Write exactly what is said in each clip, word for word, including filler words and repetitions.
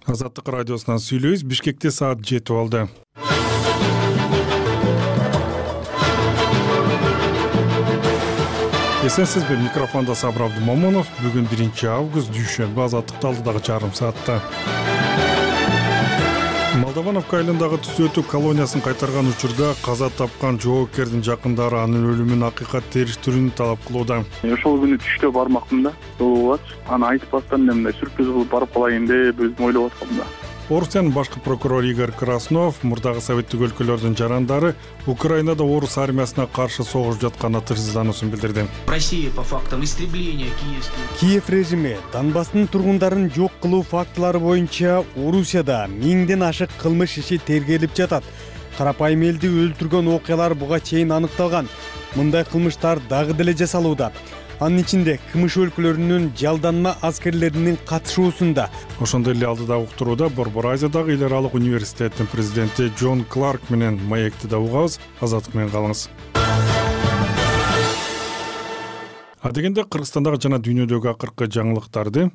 Азаттык радиосунан сүйлөйбүз. Бишкекте саат жетип алды. Эсенсизби, микрофонда Сабыр Абдумомунов. Бүгүн биринчи август, дүйшөмбү. Азаттыкты алдыдагы жарым саатта. Молдовановка айылындагы түзөтүү колониясын кайтарган учурда каза тапкан жоопкердин жакындары анын өлүмүн акыйкат териштирүүнү талап кылууда. Ошол күнү түштө бармакмын да, болбоч. Аны айтпастан мен мындай сюрприз кылып барып калайын деп өзүм ойлоп аткам да. Орусиянын башкы прокурору Игорь Краснов мурдагы советтик өлкөлөрдүн жарандары Украинада орус армиясына каршы согуш жатканына тырсыздануусун билдирди. Россия по фактам истребления киевских. Киев режими Донбасстын тургундарын жок кылуу фактылары боюнча Орусияда миңден ашык кылмыш иши тергелип жатат. Карапайым элди өлтүргөн окуялар буга чейин аныкталган. Мындай кылмыштар дагы деле жасалууда. Анын ичинде КМШ өлкөлөрүнүн жалданма аскерлеринин катышуусунда. Ошондой эле алдыдагы уктурууда Борбор Азиядагы эл аралык университеттин президенти Джон Кларк менен маекти да угабыз. Азаттык менен калыңыз. Адегенде Кыргызстандагы жана дүйнөдөгү акыркы жаңылыктарды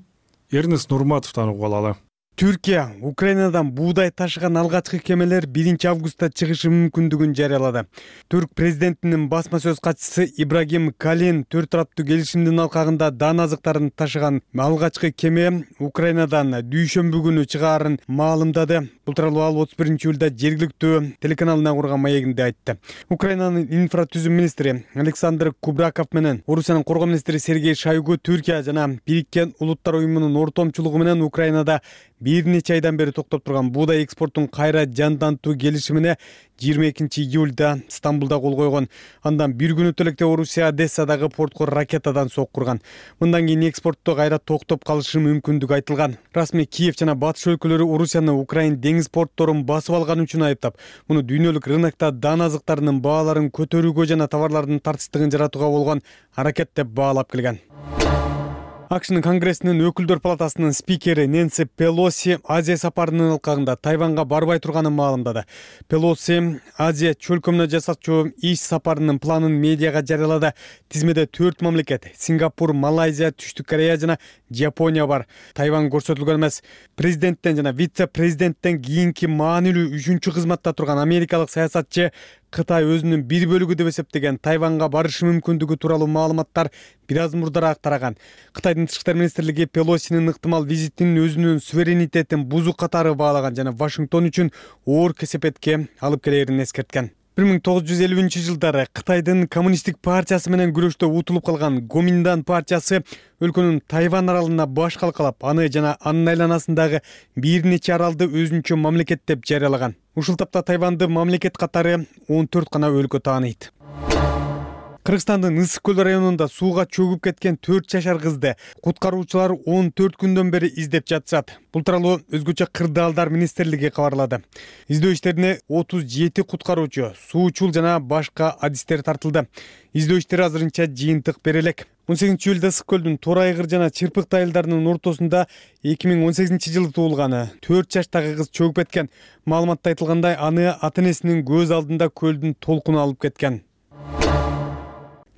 Эрнест Нурматовдон угуп алалы. Түркия Украинадан буудай ташыган алгачкы кемелер биринчи августта чыгышы мүмкүндүгүн жарыялады. Түрк президентинин басма сөз катчысы Ибрагим Калин төрт тараптуу келишимдин алкагында дан азыктарын ташыган алгачкы кеме Украинадан дүйшөмбү күнү чыгаарын маалымдады. Бул тууралуу ал отуз биринчи июлда жергиликтүү телеканалына курган маегинде айтты. Украинанын инфратүзүм министри Александр Кубраков менен Орусиянын коргоо министри Сергей Шойгу Түркия жана Бириккен Улуттар уюмунун ортомчулугу менен Украинада бир нече айдан бери токтоп турган буудай экспортун кайра жандантуу келишимине жыйырма экинчи июлда Стамбулда кол койгон. Андан бир күн өтө электе Орусия Одессадагы портко ракетадан соккурган. Мындан кийин экспортту кайра токтоп калышы мүмкүндүгү айтылган. Расмий Киев жана батыш өлкөлөрү Орусияны Украин деңиз портторун басып алган үчүн айыптап, муну дүйнөлүк рынокто дан азыктарынын бааларын көтөрүүгө жана товарлардын тартичтигин жаратууга болгон аракет деп баалап келген. АКШнын Конгрессинин өкүлдөр палатасынын спикери Нэнси Пелоси Азия сапарынын алкагында Тайванга барбай турганын маалымдады. Пелоси Азия чөлкөмүнө жасачу иш сапарынын планын медиага жарыялады. Тизмеде төрт мамлекет — Сингапур, Малайзия, Түштүк Корея жана Жапония бар. Тайван көрсөтүлгөн эмес. Президенттен жана вице-президенттен кийинки маанилүү үчүнчү кызматта турган америкалык саясатчы Кытай өзүнүн бир бөлүгү деп эсептеген Тайванга барышы мүмкүндүгү тууралуу маалыматтар бир аз мурдараак тараган. Кытайдын тышкы иштер министрлиги Пелосинин ыктымал визитин өзүнүн суверенитетин бузуу катары баалаган жана Вашингтон үчүн оор кесепетке алып келерин эскерткен. бир миң тогуз жүз элүүнчү жылдары Кытайдын коммунисттик партиясы менен күрөштө утулуп калган Гоминдан партиясы өлкөнүн Тайвань аралына баш калкалап, аны жана анын айланасындагы бир нече аралды өзүнчө мамлекет деп жарыялаган. Ушул тапта Тайваньды мамлекет катары он төрт гана өлкө тааныйт. Кыргызстандын Ысык көл районунда сууга чөгүп кеткен төрт жашар кызды куткаруучулар он төрт күндөн бери издеп жатышат. Бул тууралуу өзгөчө кырдаалдар министрлиги кабарлады. Издөө иштерине отуз жети куткаруучу, суучул жана башка адистер тартылды. Издөө иштери азырынча жыйынтык бере элек. он сегизинчи июлда Ысык көлдүн Тор айгыр жана Чырпыкты айылдарынын ортосунда эки миң он сегизинчи жылы туулганы төрт жаштагы кыз чөгүп кеткен. Маалыматта айтылгандай, аны ата-энесинин көз алдында көлдүн толкуну алып кеткен.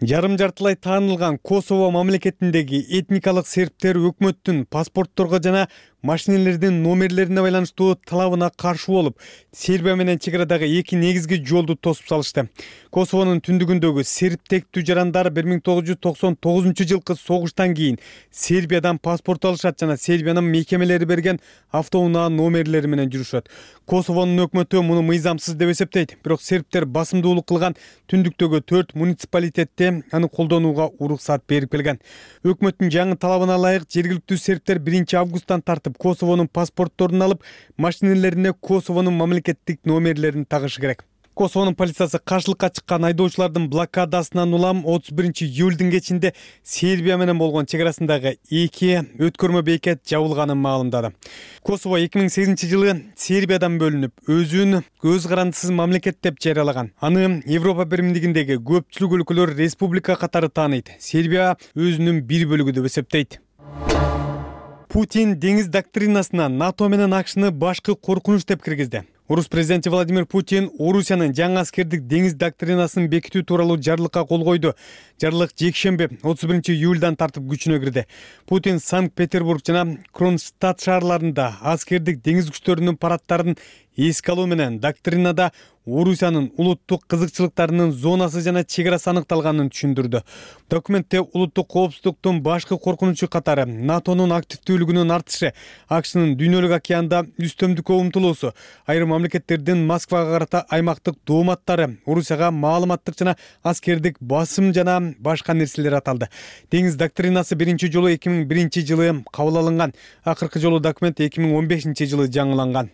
Жарым жартылай таанылган Косово мамлекетиндеги этникалык сербтер өкмөттүн паспортторго жана машинелердин номерлерине байланыштуу талабына каршы болуп, Сербия менен чек арадагы эки негизги жолду тосуп салышты. Косовонун түндүгүндөгү серб тектүү жарандар бир миң тогуз жүз токсон тогузунчу жылкы согуштан кийин Сербиядан паспорт алышат жана Сербиянын мекемелери берген автоунаа номерлери менен жүрүшөт. Косовонун өкмөтү муну мыйзамсыз деп эсептейт, бирок сербтер басымдуулук кылган түндүктөгү төрт муниципалитетте аны колдонууга уруксат берип келген. Өкмөттүн жаңы талабына ылайык жергиликтүү сербтер биринчи августтан тартып Косовонун паспортторун алып, машинелерине Косовонун мамлекеттик номерлерин тагышы керек. Косовонун полициясы каршылыкка чыккан айдоочулардын блокадасынан улам отуз биринчи июлдун кечинде Сербия менен болгон чек арасындагы эки өткөрмө бекет жабылганын маалымдады. Косово эки миң сегизинчи жылы Сербиядан бөлүнүп, өзүн көз карандысыз мамлекет деп жарыялаган. Аны Европа биримдигиндеги көпчүлүк өлкөлөр республика катары тааныйт. Сербия өзүнүн бир бөлүгү деп эсептейт. Путин деңиз доктринасына НАТО менен АКШны башкы коркунуч деп киргизди. Орус президенти Владимир Путин Орусиянын жаңы аскердик деңиз доктринасын бекитүү тууралуу жарлыкка кол койду. Жарлык жекшемби отуз биринчи июлдан тартып күчүнө кирди. Путин Санкт-Петербург жана Кронштадт шаарларында аскердик деңиз күчтөрүнүн парадтарын эске алуу менен доктринада Орусиянын улуттук кызыкчылыктарынын зонасы жана чегерасы аныкталганын түшүндүрдү. Документте улуттук коопсуздуктун башкы коркунучу катары НАТОнун активдүүлүгүнүн артышы, АКШнын дүйнөлүк океанда үстөмдүккө умтулуусу, айрым мамлекеттердин Москвага карата аймактык дооматтары, Орусияга маалыматтык жана аскердик басым жана башка нерселер аталды. Деңиз доктринасы биринчи жолу эки миң биринчи жылы кабыл алынган. Акыркы жолу документ эки миң он бешинчи жылы жаңыланган.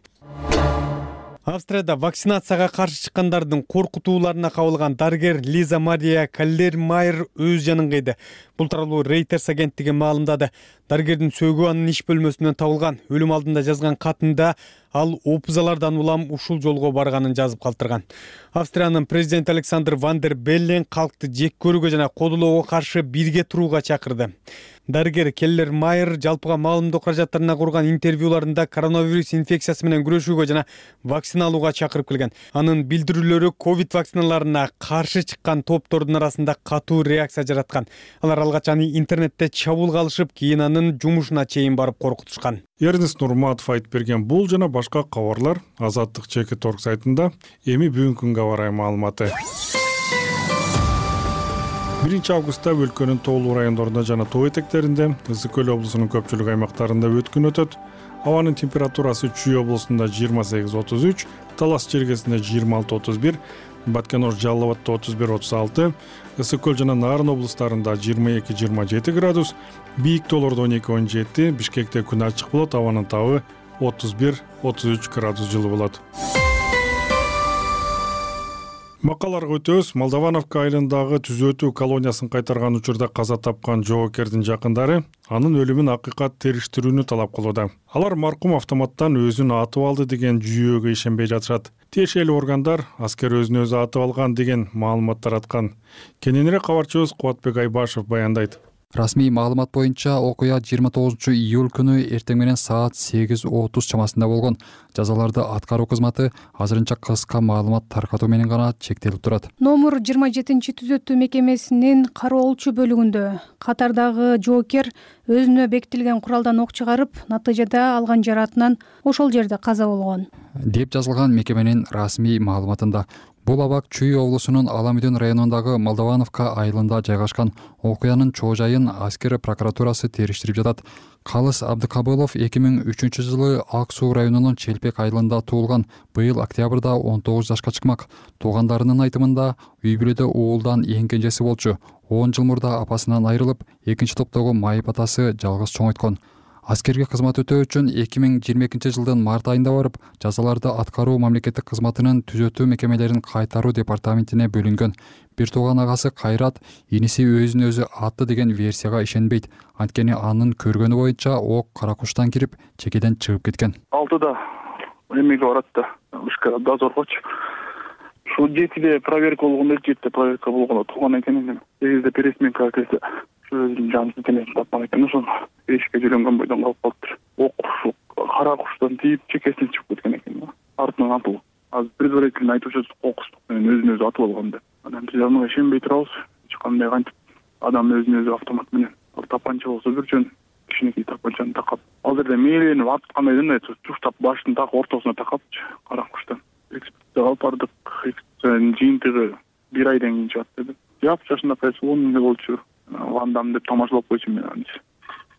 Австрияда вакцинацияга каршы чыккандардын коркутууларына кабылган дарыгер Лиза Мария Каллер-Майер өз жанын кыйды. Бул тууралуу Reuters агенттиги маалымдады. Дарыгердин сөөгү анын иш бөлмөсүнөн табылган. Өлүм алдында жазган катында ал опузалардан улам ушул жолго барганын жазып калтырган. Австриянын президенти Александр Ван дер Беллен калкты жек көрүүгө жана кодулоого каршы бирге турууга чакырды. Дарыгер Келлер-Майер жалпыга маалымдоо каражаттарына курган интервьюларында коронавирус инфекциясы менен күрөшүүгө жана вакцина алууга чакырып келген. Анын билдирүүлөрү ковид вакциналарына каршы чыккан топтордун арасында катуу реакция жараткан. Алар алгач аны интернетте чабуулга алышып, кийин анын жумушуна чейин барып коркутушкан. Эрнест Нурматов айтып берген бул жана башка кабарлар Азаттык чекит орг сайтында эми бүгүнкү күнгө карай маалыматы. биринчи августта өлкөнүн тоолуу райондорунда жана тоо этектеринде, Ысык көл облусунун көпчүлүк аймактарында өткүн өтөт. Абанын температурасы Чүй облусунда жыйырма сегиз отуз үч, Талас чергесинде жыйырма алты отуз бир, Баткен-Ор Жалал Абадта отуз бир отуз алты, Ысык көл жана Нарын облустарында жыйырма эки жыйырма жети градус, бийик тоолордо он эки он жети, Бишкекте күн ачык болот, абанын табы отуз бир отуз үч градус жылы болот. Макаларга өтөбүз. Молдовановка айылындагы түзөтүү колониясын кайтарган учурда каза тапкан жоокердин жакындары анын өлүмүн акыйкат териштирүүнү талап кылууда. Алар маркум автоматтан өзүн атып алды деген жүйөгө ишенбей жатышат. Тиешелүү органдар аскер өзүн өзү атып алган деген маалымат тараткан. Кененирээк кабарчыбыз Кубатбек Айбашев баяндайт. Расмий маалымат боюнча окуя жыйырма тогузунчу июль күнү эртең менен саат сегиз отуз чамасында болгон. Жазаларды аткаруу кызматы азырынча кыска маалымат таркатуу менен гана чектелип турат. Номер жыйырма жетинчи түзөтүү мекемесинин кароолчу бөлүгүндө катардагы жоокер өзүнө бекитилген куралдан ок чыгарып, натыйжада алган жараатынан ошол жерде каза болгон деп жазылган мекеменин расмий маалыматында. Бул абак Чүй облусунун Аламүдүн районундагы Молдовановка айылында жайгашкан. Окуянын чоо жайын аскер прокуратурасы териштирип жатат. Калыс Абдыкабылов эки миң үчүнчү жылы Ак Суу районунун Челпек айылында туулган. Быйыл октябрда он тогуз жашка чыкмак. Туугандарынын айтымында үй бүлөдө уулдан эң кенжеси болчу. он жыл мурда апасынан айрылып, экинчи топтогу майып атасы жалгыз чоңойткон. Аскерге кызмат өтөө үчүн эки миң жыйырма экинчи жылдын март айында барып, жазаларды аткаруу мамлекеттик кызматынын түзөтүү мекемелерин кайтаруу департаментине бөлүнгөн. Бир тууган агасы Кайрат иниси өзүн өзү атты деген версияга ишенбейт. Анткени анын көргөнү боюнча ок кара куштан кирип, чекеден чыгып кеткен. алтыда эмеге барат да, ушка дозоргочу. Ушул жетиде проверка болгондо, жетиде проверка болгондо тууган экен. сегизде пересменка келсе, өзүнүн жанын денесин тапкан экен. Ошону эшикке жүргөн бойдон калып калыптыр. Ок ушул кара куштан тийип, чекесине чыгып кеткен экен. Артынан атылып. Азыр предварительно айтып жатышат, кокустук менен өзүн өзү атып алган деп. Анан биз ага ишенбей турабыз. Эч кандай кантип адам өзүн өзү автомат менен, ал тапанча болсо бир жөн кичинекей тапанчаны такап, ал жерде мээленип аткандай эмне, туштап башын так ортосуна такапчы, кара куштан. Экспертизага алып бардык. Экспертизанын жыйынтыгы бир айдан кийин чыгат деди. Жап жашында кайсы он миң болчу. Вандам деп тамашалап койчумун мен аны.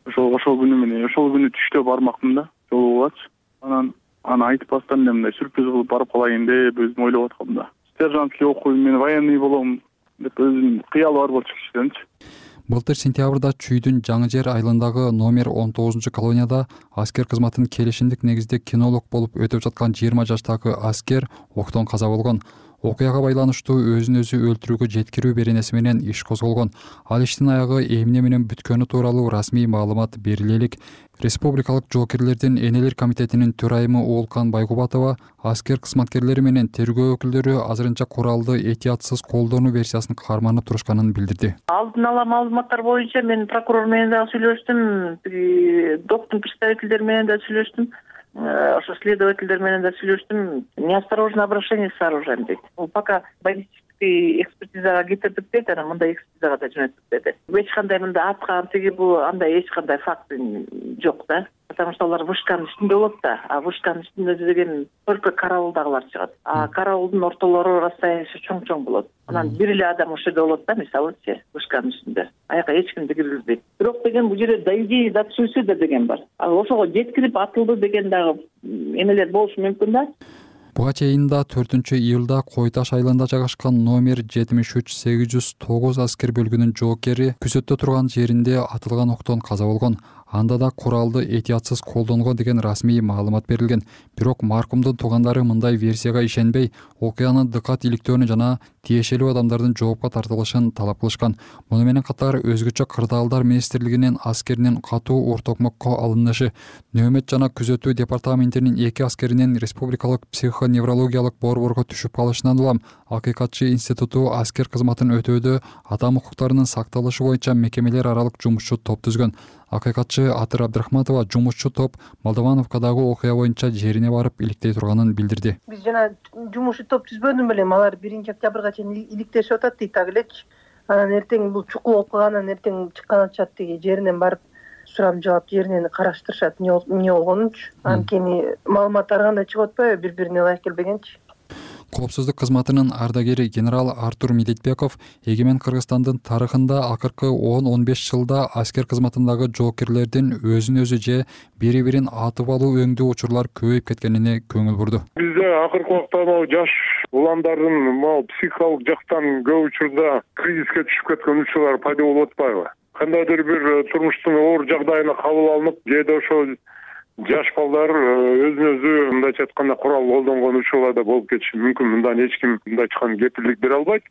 Ошол ошол күнү менен, ошол күнү түштө бармакмын да, жолу болчу. Анан аны айтпастан эмне сюрприз кылып барып калайын деп өзүм ойлоп аткам да. Сержантский окуйм, мен военный болом деп өзүм кыялы бар болчу кичинечи. Былтыр сентябрда Чүйдүн Жаңы жер айылындагы номер он тогузунчу колонияда аскер кызматын келишимдик негизде кинолог болуп өтөп жаткан жыйырма жаштагы аскер октон каза болгон. Окуяга байланыштуу өзүн өзү өлтүрүүгө жеткирүү беренеси менен иш козголгон. Ал иштин аягы эмне менен бүткөнү тууралуу расмий маалымат берилелик. Республикалык жоокерлердин энелер комитетинин төрайымы Оолкан Байгубатова аскер кызматкерлери менен тергөө өкүлдөрү азырынча куралды этиятсыз колдонуу версиясын карманып турушканын билдирди. Алдын ала маалыматтар боюнча мен прокурор менен да сүйлөштүм, доктун представителдери менен да сүйлөштүм. ошо следовательдер менен да сүйлөштүм. Неосторожное обращение с оружием дейт. Бул пока баллистический экспертизага кетирдик дейт, анан мындай экспертизага да жөнөттүк деди. Эч кандай мындай аткан тиги бул андай эч кандай факт жок да. Потому что алар вышканын үстүндө болот да, а вышканын үстүндө деген только караулдагылар чыгат. А караулдун ортолору расстояниясы чоң-чоң болот. Анан бир эле адам ошол жерде болот да, мисалычы, вышканын үстүндө. Аяка эч кимди киргизбейт. Бирок деген бул жерде да идея да суицида деген бар. А ошого жеткирип атылды деген дагы эмелер болушу мүмкүн да. Буга чейин да төртүнчү июлда Кой Таш айылында жайгашкан номер жетимиш үч сегиз жүз тогуз аскер бөлүгүнүн жоокери күзөттө турган жеринде атылган октон каза болгон. Анда да куралды этиятсыз колдонгон деген расмий маалымат берилген. Бирок маркумдун туугандары мындай версияга ишенбей, окуяны дыкат иликтөөнү жана тиешелүү адамдардын жоопко тартылышын талап кылышкан. Муну менен катар өзгөчө кырдаалдар министрлигинин аскеринин катуу ортокмокко алынышы, нөөмөт жана күзөтүү департаментинин эки аскеринин республикалык психоневрологиялык борборго түшүп калышынан улам Акыйкатчы институту аскер кызматын өтөөдө адам укуктарынын сакталышы боюнча мекемелер аралык жумушчу топ түзгөн. Акыйкатчы Атыр Абдрахматова жумушчу топ Молдовановкадагы окуя боюнча жерине барып иликтей турганын билдирди. Биз жана жумушчу топ түзбөдүм белем, алар биринчи октябрга чейин иликтешип атат дейт так элечи. Анан эртең бул чукул болуп калгандан эртең чыккан атышат тиги жеринен барып сурам жаап жеринен караштырышат эмне болгонунчу. Анан кийин маалымат ар кандай чыгып атпайбы, бири-бирине ылайык келбегенчи. Коопсуздук кызматынын ардагери генерал Артур Медетбеков эгемен Кыргызстандын тарыхында акыркы он он беш жылда аскер кызматындагы жоокерлердин өзүн өзү же бири-бирин атып алуу өңдүү учурлар көбөйүп кеткенине көңүл бурду. Бизде акыркы убакта могу жаш уландардын могу психикалык жактан көп учурда кризиске түшүп кеткен учурлар пайда болуп атпайбы? Кандайдыр бир турмуштун оор жагдайына кабыл алынып, жеде ошол жаш балдар өзүн өзү мындайча айтканда курал колдонгон учурлар да болуп кетиши мүмкүн. Мындан эч ким мындайча айтканда кепилдик бере албайт.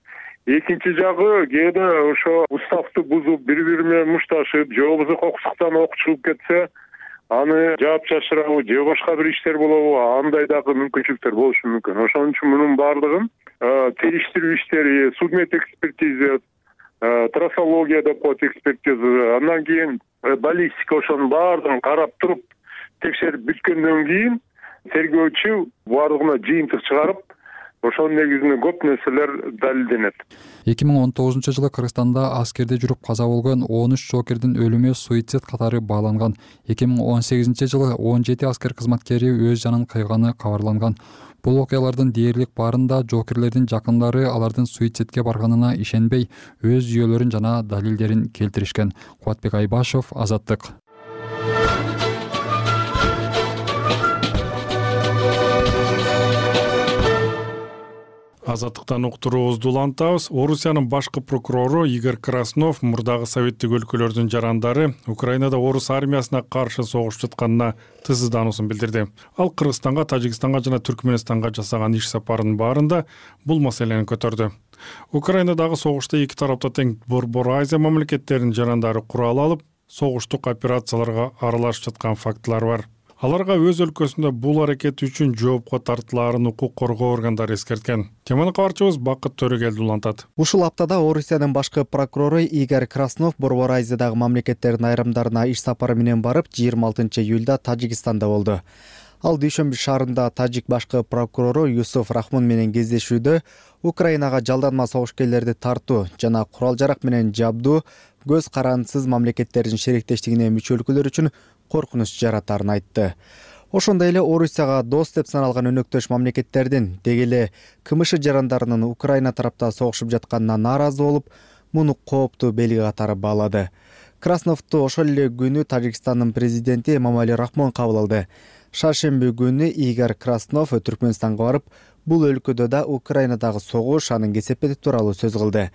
Экинчи жагы кээде ошо уставды бузуп, бири-бири менен мушташып, же болбосо кокусуктан ок чыгып кетсе, аны жаап чачырабы, же башка бир иштер болобу, андай дагы мүмкүнчүлүктөр болушу мүмкүн. Ошон үчүн мунун баардыгын териштирүү иштери, судмед экспертиза, трассология деп коет экспертиза, андан кийин баллистика, ошонун баардыгын карап туруп текшерип бүткөндөн кийин тергөөчү баардыгына жыйынтык чыгарып, ошонун негизинде көп нерселер далилденет. эки миң он тогузунчу жылы Кыргызстанда аскерде жүрүп каза болгон он үч жоокердин өлүмү суицид катары бааланган. эки миң он сегизинчи жылы он жети аскер кызматкери өз жанын кыйганы кабарланган. Бул окуялардын дээрлик баарында жоокерлердин жакындары алардын суицидке барганына ишенбей, өз жүйөлөрүн жана далилдерин келтиришкен. Кубатбек Айбашев, Азаттык. Азаттыктан уктуруубузду улантабыз. Орусиянын башкы прокурору Игорь Краснов мурдагы советтик өлкөлөрдүн жарандары Украинада орус армиясына каршы согушуп жатканына тыздануусун билдирди. Ал Кыргызстанга, Тажикстанга жана Түркмөнстанга жасаган иш сапарынын баарында бул маселени көтөрдү. Украинадагы согушта эки тарапта тең Борбор Азия мамлекеттеринин жарандары курал алып, согуштук операцияларга аралашып жаткан фактылар бар. Аларга өз өлкөсүндө бул аракети үчүн жоопко тартылаарын укук коргоо органдары эскерткен. Теманы кабарчыбыз Бакыт Төрөгелди улантат. Ушул аптада Орусиянын башкы прокурору Игорь Краснов Борбор Азиядагы мамлекеттердин айрымдарына иш сапары менен барып, жыйырма алтынчы июлда Тажикстанда болду. Ал Дүйшөмбү шаарында тажик башкы прокурору Юсуф Рахмун менен кездешүүдө Украинага жалданма согушкерлерди тартуу жана курал-жарак менен жабдуу көз карандысыз мамлекеттердин шериктештигине мүчө өлкөлөр үчүн коркунуч жаратарын айтты. Ошондой эле Орусияга дос деп саналган өнөктөш мамлекеттердин деги эле КМШ жарандарынын Украина тарапта согушуп жатканына нааразы болуп, муну кооптуу белги катары баалады. Красновду ошол эле күнү Тажикстандын президенти Эмомали Рахмон кабыл алды. Шаршемби күнү Игорь Краснов Түркмөнстанга барып, бул өлкөдө да Украинадагы согуш, анын кесепети тууралуу сөз кылды.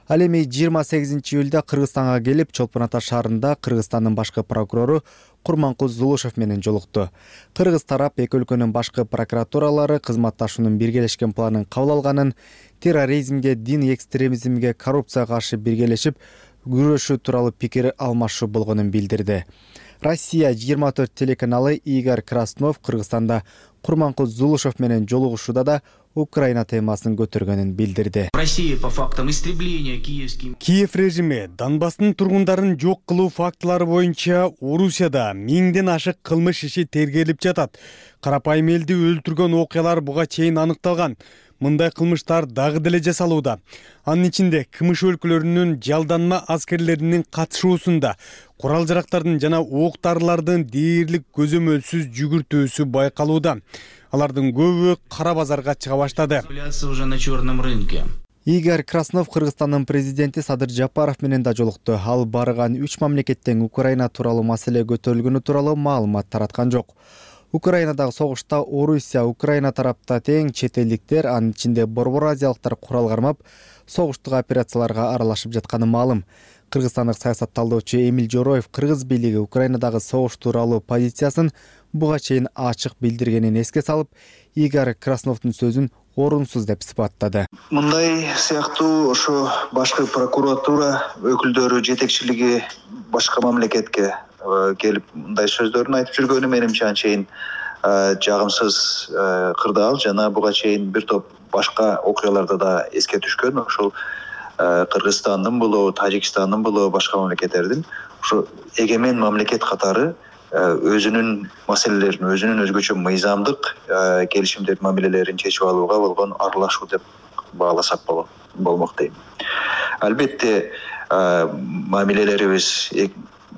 Ал эми жыйырма сегизинчи июлда Кыргызстанга келип, Чолпон Ата шаарында Кыргызстандын башкы прокурору Курманкул Зулушев менен жолукту. Кыргыз тарап эки өлкөнүн башкы прокуратуралары кызматташуунун биргелешкен планын кабыл алганын, терроризмге, дин экстремизмге, коррупцияга каршы биргелешип күрөшүү тууралуу пикир алмашуу болгонун билдирди. Россия жыйырма төрт телеканалы Игорь Краснов Кыргызстанда Курманкул Зулушев менен жолугушууда да Украина темасын көтөргөнүн билдирди. Россия по фактам истребления киевским Киев режими Донбасстын тургундарын жок кылуу фактылары боюнча Орусияда миңден ашык кылмыш иши тергелип жатат. Карапайым элди өлтүргөн окуялар буга чейин аныкталган. Мындай кылмыштар дагы деле жасалууда. Анын ичинде КМШ өлкөлөрүнүн жалданма аскерлеринин катышуусунда курал жарактардын жана ок дарылардын дээрлик көзөмөлсүз жүгүртүүсү байкалууда. Алардын көбү кара базарга чыга баштады. уже на черном рынке. Игорь Краснов Кыргызстандын президенти Садыр Жапаров менен да жолукту. Ал барган үч мамлекеттен Украина тууралуу маселе көтөрүлгөнү тууралуу маалымат тараткан жок. Украинадагы согушта Орусия, Украина тарапта тең чет элдиктер, анын ичинде борбор азиялыктар курал кармап, согуштук операцияларга аралашып жатканы маалым. Кыргызстандык саясат талдоочу Эмил Жороев кыргыз бийлиги Украинадагы согуш тууралуу позициясын буга чейин ачык билдиргенин эске салып, Игорь Красновдун сөзүн орунсуз деп сыпаттады. Мындай сыяктуу ошо башкы прокуратура өкүлдөрү жетекчилиги башка мамлекетке келип мындай сөздөрүн айтып жүргөнү менимче анчейин жагымсыз кырдаал жана буга чейин бир топ башка окуяларда да эске түшкөн. Ошол Кыргызстандын болобу, Тажикстандын болобу, башка мамлекеттердин ошо эгемен мамлекет катары өзүнүн маселелерин, өзүнүн өзгөчө мыйзамдык келишимдердин мамилелерин чечип алууга болгон аралашуу деп бааласак болмок дейм. Албетте мамилелерибиз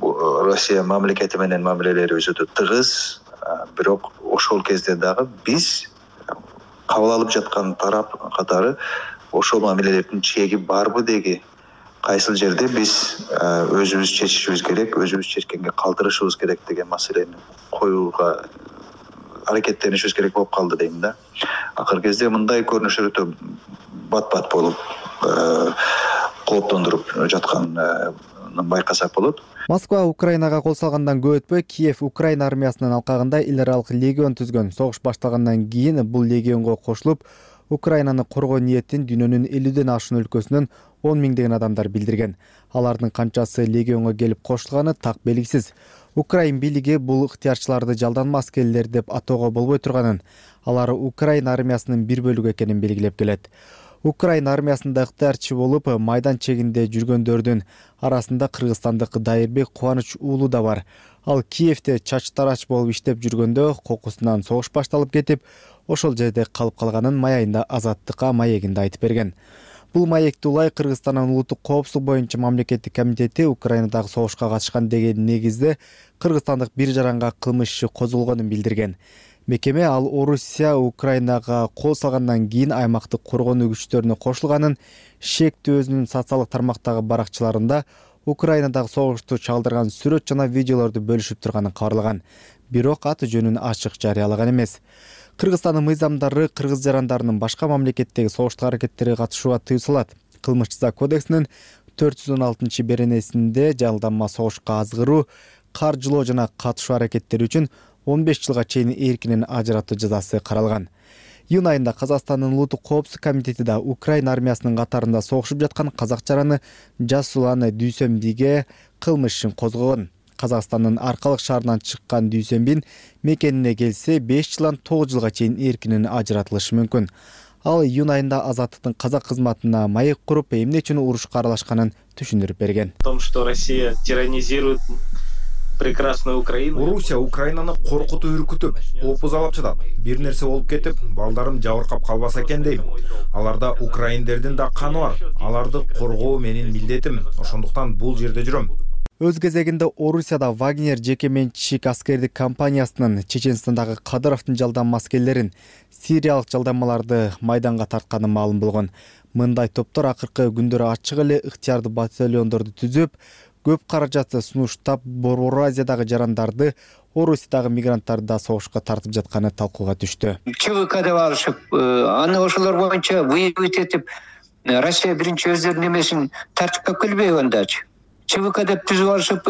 Россия мамлекети менен мамилелерибиз өтө тыгыз, бирок ошол кезде дагы биз кабыл алып жаткан тарап катары ошол мамилелердин чеги барбы деги, кайсыл жерде биз өзүбүз чечишибиз керек, өзүбүз чечкенге калтырышыбыз керек деген маселени коюуга аракеттенишибиз керек болуп калды дейм да. Акыркы кезде мындай көрүнүштөр өтө бат-бат болуп кооптондуруп жатканын байкасак болот. Москва Украинага кол салгандан көп өтпөй Киев Украина армиясынын алкагында эл аралык легион түзгөн. Согуш башталгандан кийин бул легионго кошулуп, Украинаны коргоо ниетин дүйнөнүн элүүдөн ашуун өлкөсүнөн он миңдеген адамдар билдирген. Алардын канчасы легионго келип кошулганы так белгисиз. Украин бийлиги бул ыктыярчыларды жалданма аскерлер деп атоого болбой турганын, алар Украина армиясынын бир бөлүгү экенин белгилеп келет. Украина армиясында ыктыярчы болуп, майдан чегинде жүргөндөрдүн арасында кыргызстандык Дайырбек Кубаныч уулу да бар. Ал Киевде чач-тарач болуп иштеп жүргөндө кокусунан согуш башталып кетип, ошол жерде калып калганын маягында Азаттыкка маегинде айтып берген. Бул маекти улай Кыргызстандын улуттук коопсуздук боюнча мамлекеттик комитети Украинадагы согушка катышкан деген негизде кыргызстандык бир жаранга кылмыш иши козголгонун билдирген. Мекеме ал Орусия Украинага кол салгандан кийин аймактык коргонуу күчтөрүнө кошулганын, шектүү өзүнүн социалдык тармактагы баракчаларында Украинадагы согушту чагылдырган сүрөт жана видеолорду бөлүшүп турганын кабарлаган. Бирок аты жөнүн ачык жарыялаган эмес. Кыргызстандын мыйзамдары кыргыз жарандарынын башка мамлекеттеги согуштук аракеттерге катышууга тыюу салат. Кылмыш жаза кодексинин төрт жүз он алтынчы беренесинде жалданма согушка азгыруу, каржылоо жана катышуу аракеттери үчүн он беш жылга чейин эркинен ажыратуу жазасы каралган. Июнь айында Казакстандын улуттук коопсуздук комитети да Украина армиясынын катарында согушуп жаткан казак жараны Жасулан Дүйсөнбиге кылмыш ишин козгогон. Казакстандын Аркалык шаарынан чыккан Дүйсөнбин мекенине келсе беш жылдан тогуз жылга чейин эркинен ажыратылышы мүмкүн. Ал июнь айында Азаттыктын казак кызматына маек куруп, эмне үчүн урушка аралашканын түшүндүрүп берген. В том, что Россия тиранизирует прекрасную Украину. Орусия Украинаны коркутуп үркүтүп, опузалап жатат. Бир нерсе болуп кетип, балдарым жабыркап калбаса экен дейм. Аларда украиндердин да каны бар. Аларды коргоо менин милдетим. Ошондуктан бул жерде жүрөм. Өз кезегинде Орусияда Вагнер жеке менчик аскердик компаниясынын Чеченстандагы Кадыровдун жалданма аскерлерин, сириялык жалданмаларды майданга тартканы маалым болгон. Мындай топтор акыркы күндөрү ачык эле ыктыярдуу батальондорду түзүп, көп каражатты сунуштап Борбор Азиядагы жарандарды, Орусиядагы мигранттарды да согушка тартып жатканы талкууга түштү. ЧВК деп алышып, аны ошолор боюнча выявить этип, Россия биринчи өздөрүнүн эмесин тартипке келбейби андачы? ЧВК деп түзүп алышып,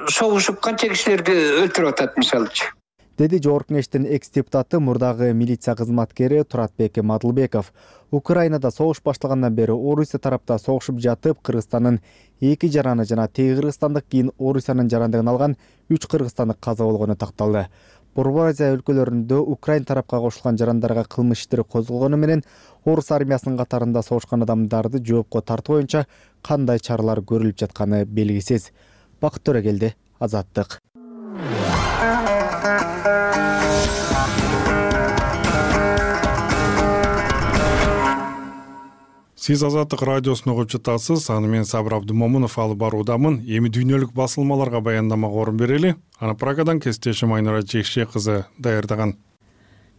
согушуп канча кишилерди өлтүрүп атат мисалычы. Деди Жогорку Кеңештин экс-депутаты, мурдагы милиция кызматкери Туратбек Мадылбеков. Украинада согуш башталгандан бери Орусия тарапта согушуп жатып, Кыргызстандын эки жараны жана теги кыргызстандык кийин Орусиянын жарандыгын алган үч кыргызстандык каза болгону такталды. Борбор Азия өлкөлөрүндө Украин тарапка кошулган жарандарга кылмыш иштери козголгону менен орус армиясынын катарында согушкан адамдарды жоопко тартуу боюнча кандай чаралар көрүлүп жатканы белгисиз. Бакыт Төрөгелди, Азаттык. Сиз Азаттык радиосун угуп жатасыз. Аны мен Сабыр Абдымомунов алып баруудамын. Эми дүйнөлүк басылмаларга баяндамага орун берели. Аны Прагадан кесиптешим Айнура Жекше кызы даярдаган.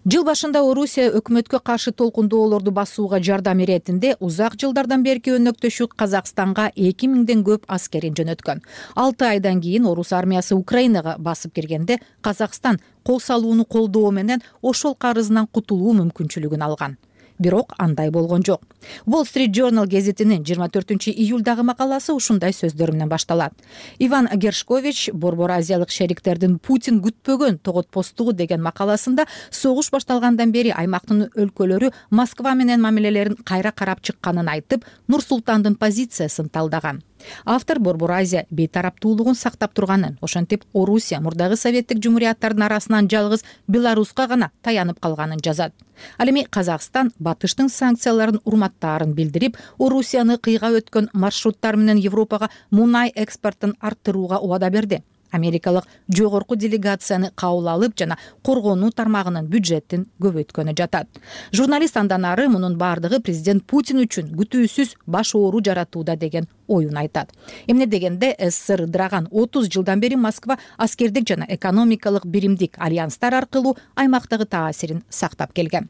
Жыл башында Орусия өкмөткө каршы толкундоолорду басууга жардам иретинде узак жылдардан берки өнөктөшү Казакстанга эки миңден көп аскерин жөнөткөн. алты айдан кийин орус армиясы Украинага басып киргенде Казакстан кол салууну колдоо менен ошол карызынан кутулуу мүмкүнчүлүгүн алган. Бирок андай болгон жок. Wall Street Journal гезитинин жыйырма төртүнчү июлдагы макаласы ушундай сөздөр менен башталат. Иван Гершкович Борбор Азиялык шериктердин Путин күтпөгөн тоготпостугу деген макаласында согуш башталгандан бери аймактын өлкөлөрү Москва менен мамилелерин кайра карап чыкканын айтып, Нур-Султандын позициясын талдаган. Автор Борбор Азия бейтараптуулугун сактап турганын, ошентип Орусия мурдагы советтик жумурияттардын арасынан жалгыз Беларуска гана таянып калганын жазат. Ал эми Казакстан батыштын санкцияларын урматтаарын билдирип, Орусияны кыйга өткөн маршруттар менен Европага мунай экспортун арттырууга убада берди. Америкалык жогорку делегацияны кабыл алып жана коргонуу тармагынын бюджетин көбөйткөнү жатат. Журналист андан ары мунун бардыгы президент Путин үчүн күтүүсүз баш оору жаратууда деген оюн айтат. Эмне дегенде СССР ыдыраган отуз жылдан бери Москва аскердик жана экономикалык биримдик альянстар аркылуу аймактагы таасирин сактап келген.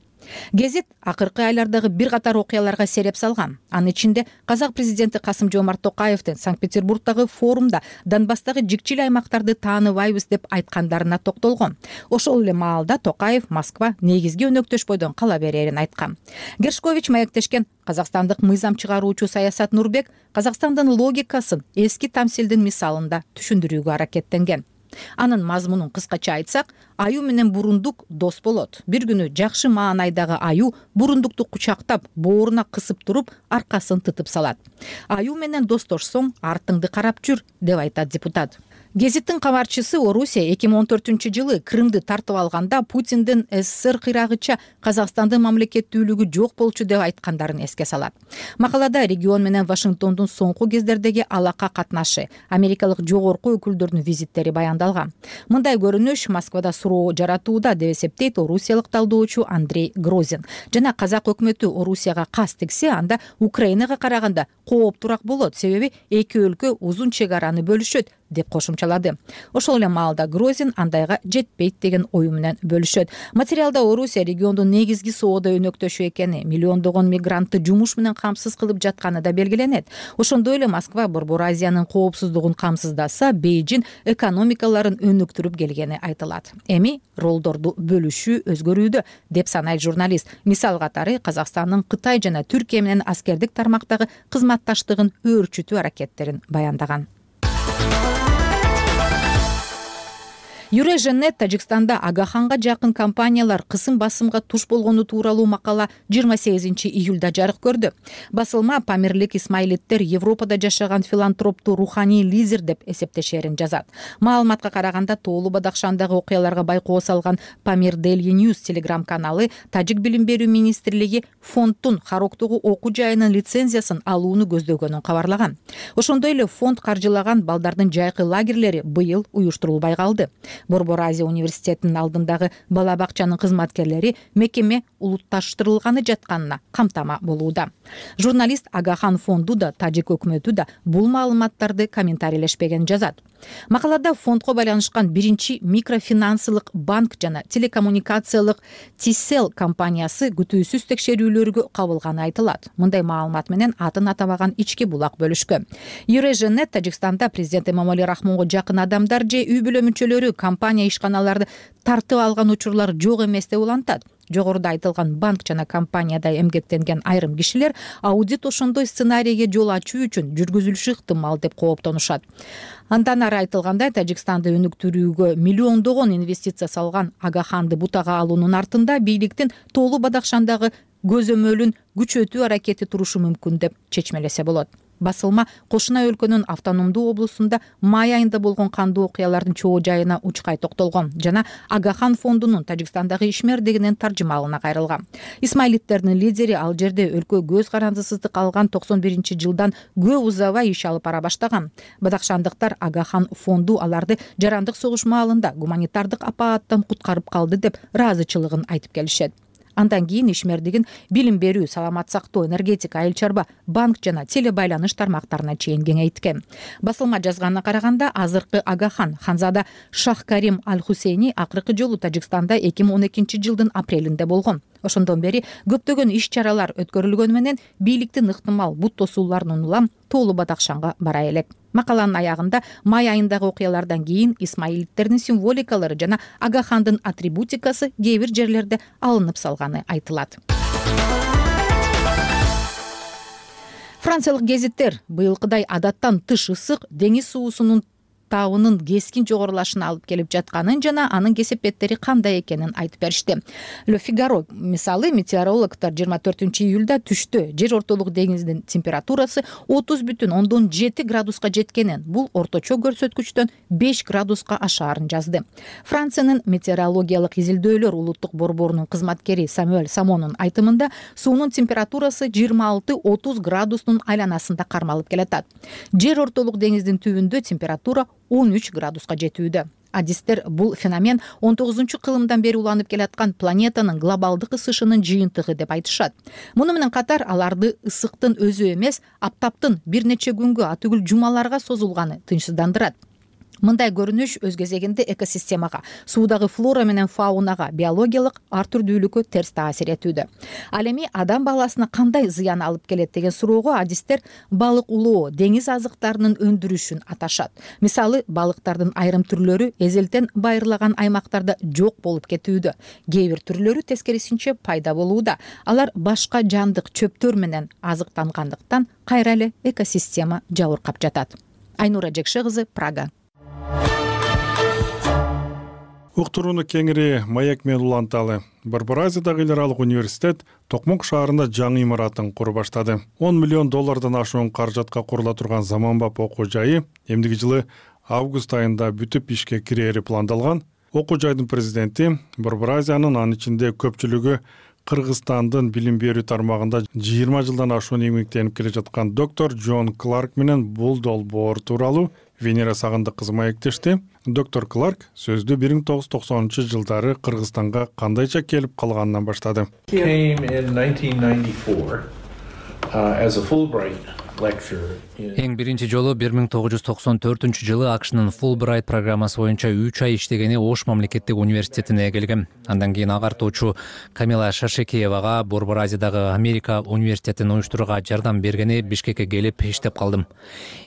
Гезит акыркы айлардагы бир катар окуяларга сереп салган. Анын ичинде казак президенти Касым-Жомарт Токаевдин Санкт-Петербургдагы форумда Донбасстагы жикчил аймактарды тааныбайбыз деп айткандарына токтолгон. Ошол эле маалда Токаев Москва негизги өнөктөш бойдон кала берерин айткан. Гершкович маектешкен казакстандык мыйзам чыгаруучу Саясат Нурбек Казакстандын логикасын эски тамсилдин мисалында түшүндүрүүгө аракеттенген. Анын мазмунун кыскача айтсак, аюу менен бурундук дос болот. Бир күнү жакшы маанайдагы аюу бурундукту кучактап, бооруна кысып туруп, аркасын тытып салат. Аюу менен достошсоң, артыңды карап жүр, деп айтат депутат. Гезиттин кабарчысы Орусия эки миң он төртүнчү жылы Крымды тартып алганда Путиндин СССР кыйрагыча Казакстандын мамлекеттүүлүгү жок болчу деп айткандарын эске салат. Макалада регион менен Вашингтондун соңку кездердеги алака катнашы, америкалык жогорку өкүлдөрдүн визиттери баяндалган. Мындай көрүнүш Москвада суроо жаратууда деп эсептейт орусиялык талдоочу Андрей Грозин. Жана казак өкмөтү Орусияга кас тиксе, анда Украинага караганда кооптураак болот, себеби эки өлкө узун чек араны бөлүшөт деп кошумчалады. Ошол эле маалда Грозин андайга жетпейт деген ою менен бөлүшөт. Материалда Орусия региондун негизги соода өнөктөшү экени, миллиондогон мигрантты жумуш менен камсыз кылып жатканы да белгиленет. Ошондой эле Москва Борбор Азиянын коопсуздугун камсыздаса, Бейжин экономикаларын өнүктүрүп келгени айтылат. Эми ролдорду бөлүшүү өзгөрүүдө деп санайт журналист. Мисал катары Казакстандын Кытай жана Түркия менен аскердик тармактагы кызматташтыгын өөрчүтүү аракеттерин баяндаган. Юреженет Тажикстанда Агаханга жакын компаниялар кысым басымга туш болгону тууралуу макала жыйырма сегизинчи июлда жарык көрдү. Басылма Памирлик Исмаилиттер Европада жашаган филантропту руханий лидер деп эсептешерин жазат. Маалыматка караганда Тоолу Бадахшандагы окуяларга байкоо салган Памир Daily News телеграм каналы Тажик билим берүү министрлиги фонддун Хароктогу окуу жайынын лицензиясын алууну көздөгөнүн кабарлаган. Ошондой эле фонд каржылаган балдардын жайкы лагерлери быйыл уюштурулбай калды. Борбор Азия университетинин алдындагы бала бакчанын кызматкерлери мекеме улутташтырылганы жатканына камтама болууда. Журналист Агахан фонду да, Тажик өкмөтү да бул маалыматтарды комментарийлешпеген жазат. Макалада фондко байланышкан биринчи микрофинансылык банк жана телекоммуникациялык Тисел компаниясы күтүүсүз текшерүүлөргө кабылганы айтылат. Мындай маалымат менен атын атабаган ички булак бөлүшкөн. Юреженет Тажикстанда президент Эмомали Рахмонго жакын адамдар же үй бүлө мүчөлөрү компания ишканаларды тартып алган учурлар жок эмес деп улантат. Жогоруда айтылган банк жана компанияда эмгектенген айрым кишилер аудит ошондой сценарийге жол ачуу үчүн жүргүзүлүшү ыктымал деп кооптонушат. Андан ары айтылгандай, Тажикстанды өнүктүрүүгө миллиондогон инвестиция салган Агаханды бутага алуунун артында бийликтин Тоолу Бадахшандагы көзөмөлүн күчөтүү аракети турушу мүмкүн деп чечмелесе болот. басылма кошуна өлкөнүн автономдуу облусунда май айында болгон кандуу окуялардын чоо жайына учкай токтолгон жана Агахан фондунун Тажикстандагы ишмердигинин таржымалына кайрылган. Исмаилиттердин лидери ал жерде өлкө көз карандысыздык алган токсон биринчи жылдан көп узабай иш алып бара баштаган. Бадакшандыктар Агахан фонду аларды жарандык согуш маалында гуманитардык апааттан куткарып калды деп ыраазычылыгын айтып келишет. Андан кийин ишмердигин билим берүү, саламат сактоо, энергетика, айыл чарба, банк жана теле байланыш тармактарына чейин кеңейткен. Басылма жазганына караганда, азыркы Агахан Ханзада Шах Карим Аль-Хусейни акыркы жолу Тажикстанда эки миң он экинчи жылдын апрелинде болгон. Ошондон бери көптөгөн иш-чаралар өткөрүлгөнү менен бийликтин ыктымал бут тосууларынын улам тоолу Бадакшанга бара элек. Макаланын аягында май айындагы окуялардан кийин исмаилиттердин символикалары жана Агахандын атрибутикасы кээ бир жерлерде алынып салганы айтылат. Франциялык гезиттер быйылкыдай адаттан тыш ысык деңиз суусунун табынын кескин жогорулашына алып келип жатканын жана анын кесепеттери кандай экенин айтып беришти. Le Figaro мисалы метеорологдор жыйырма төртүнчү июлда түштө жер ортолук деңизинин температурасы отуз бүтүн ондон жети градуска жеткенин, бул орточо көрсөткүчтөн беш градуска ашаарын жазды. Франциянын метеорологиялык изилдөөлөр улуттук борборунун кызматкери Самуэль Самонун айтымында суунун температурасы жыйырма алты отуз градустун айланасында кармалып келатат. Жер ортолук деңиздин түбүндө температура он үч градуска жетүүдө. Адистер бул феномен он тогузунчу кылымдан бери уланып келаткан планетанын глобалдык ысышынын жыйынтыгы деп айтышат. Муну менен катар аларды ысыктын өзү эмес, аптаптын бир нече күнгө, атүгүл жумаларга созулганы тынчсыздандырат. Мындай көрүнүш өз кезегинде экосистемага, суудагы флора менен фаунага, биологиялык ар түрдүүлүккө терс таасир этүүдө. Ал эми адам баласына кандай зыян алып келет деген суроого адистер балык улоо, деңиз азыктарынын өндүрүшүн аташат. Мисалы, балыктардын айрым түрлөрү эзелтен байырлаган аймактарда жок болуп кетүүдө. Кээ бир түрлөрү тескерисинче пайда болууда. Алар башка жандык чөптөр менен азыктангандыктан кайра эле экосистема жабыркап жатат. Айнура Жекше кызы, Прага. Уктурууну кеңири Маек менен уланталы. Барбаразиядагы эл аралык университет Токмок шаарында жаңы имаратын куруп баштады. он миллион доллардан ашуун каражатка курула турган заманбап окуу жайы эмдиги жылы август айында бүтүп ишке кирери пландалган. Окуу жайдын президенти Барбаразиянын, анын ичинде көпчүлүгү Кыргызстандын билим берүү тармагында жыйырма жылдан ашуун эмгектенип келе жаткан доктор Джон Кларк менен бул долбоор тууралуу Венера Сагындык кызы маектешти. Доктор Кларк сөздү бир миң тогуз жүз токсонунчу жылдары Кыргызстанга кандайча келип калганынан баштады. Эң биринчи жолу бир миң тогуз жүз токсон төртүнчү жылы АКШнын Fulbright программасы боюнча үч ай иштегени Ош мамлекеттик университетине келгем. Андан кийин агартуучу Камила Шашекеевага Борбор-Азиядагы Америка университетин уюштурууга жардам бергени Бишкекке келип иштеп калдым.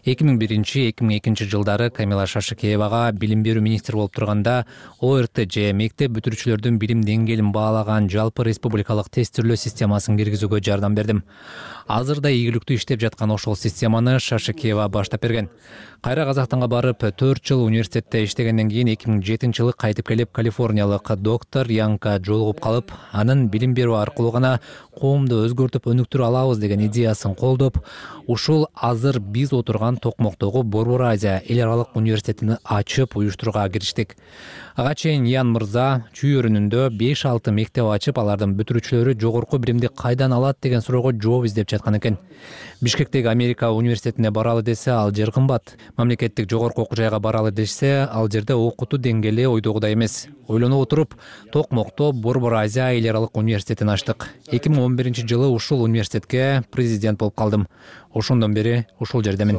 эки миң биринчи эки миң экинчи жылдары Камила Шашекеевага билим берүү министри болуп турганда О Р Т Ж мектеп бүтүрүүчүлөрдүн билим деңгээлин баалаган жалпы республикалык тестирлөө системасын киргизүүгө жардам бердим. Азырда ийгиликтүү иштеп жаткан ошол системаны Шашекеева баштап берген. Кайра Казакстанга барып төрт жыл университетте иштегенден кийин эки миң жетинчи жылы кайтып келип Калифорниялык доктор Янка жолугуп калып, анын билим берүү аркылуу гана коомду өзгөртүп өнүктүрө алабыз деген идеясын колдоп, ушул азыр биз отурган Токмоктогу Борбор-Азия эл аралык университетин ачып уюштурууга кириштик. Ага чейин Ян мырза Чүй өрүнүндө беш алты мектеп ачып, алардын бүтүрүүчүлөрү жогорку билимди кайдан алат деген суроого жооп издеп жаткан экен. Бишкектеги Америка университетине баралы десе, ал жер кымбат. Мамлекеттик жогорку окуу жайга баралы десе, ал жерде окутуу деңгээли ойдогудай эмес. Ойлонуп отуруп, Токмокто Борбор-Азия эл аралык университетин ачтык. эки миң он биринчи жылы ушул университетке президент болуп калдым. Ошондон бери ушул жердемин.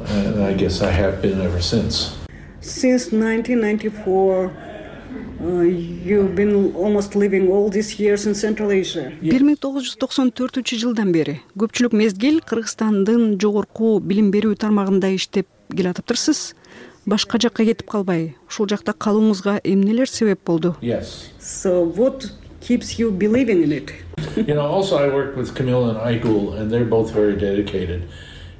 And I guess I have been ever since. Since nineteen ninety-four, uh, you've been almost living all these years in Central Asia. бир миң тогуз жүз токсон төртүнчү жылдан бери көпчүлүк мезгил Кыргызстандын жогорку билим берүү тармагында иштеп келатыптырсыз. Башка жакка кетип калбай, ушул жакта калууңузга эмнелер себеп болду? Yes. So what keeps you believing in it? You know, also I worked with Camilla and Aigul, and they're both very dedicated.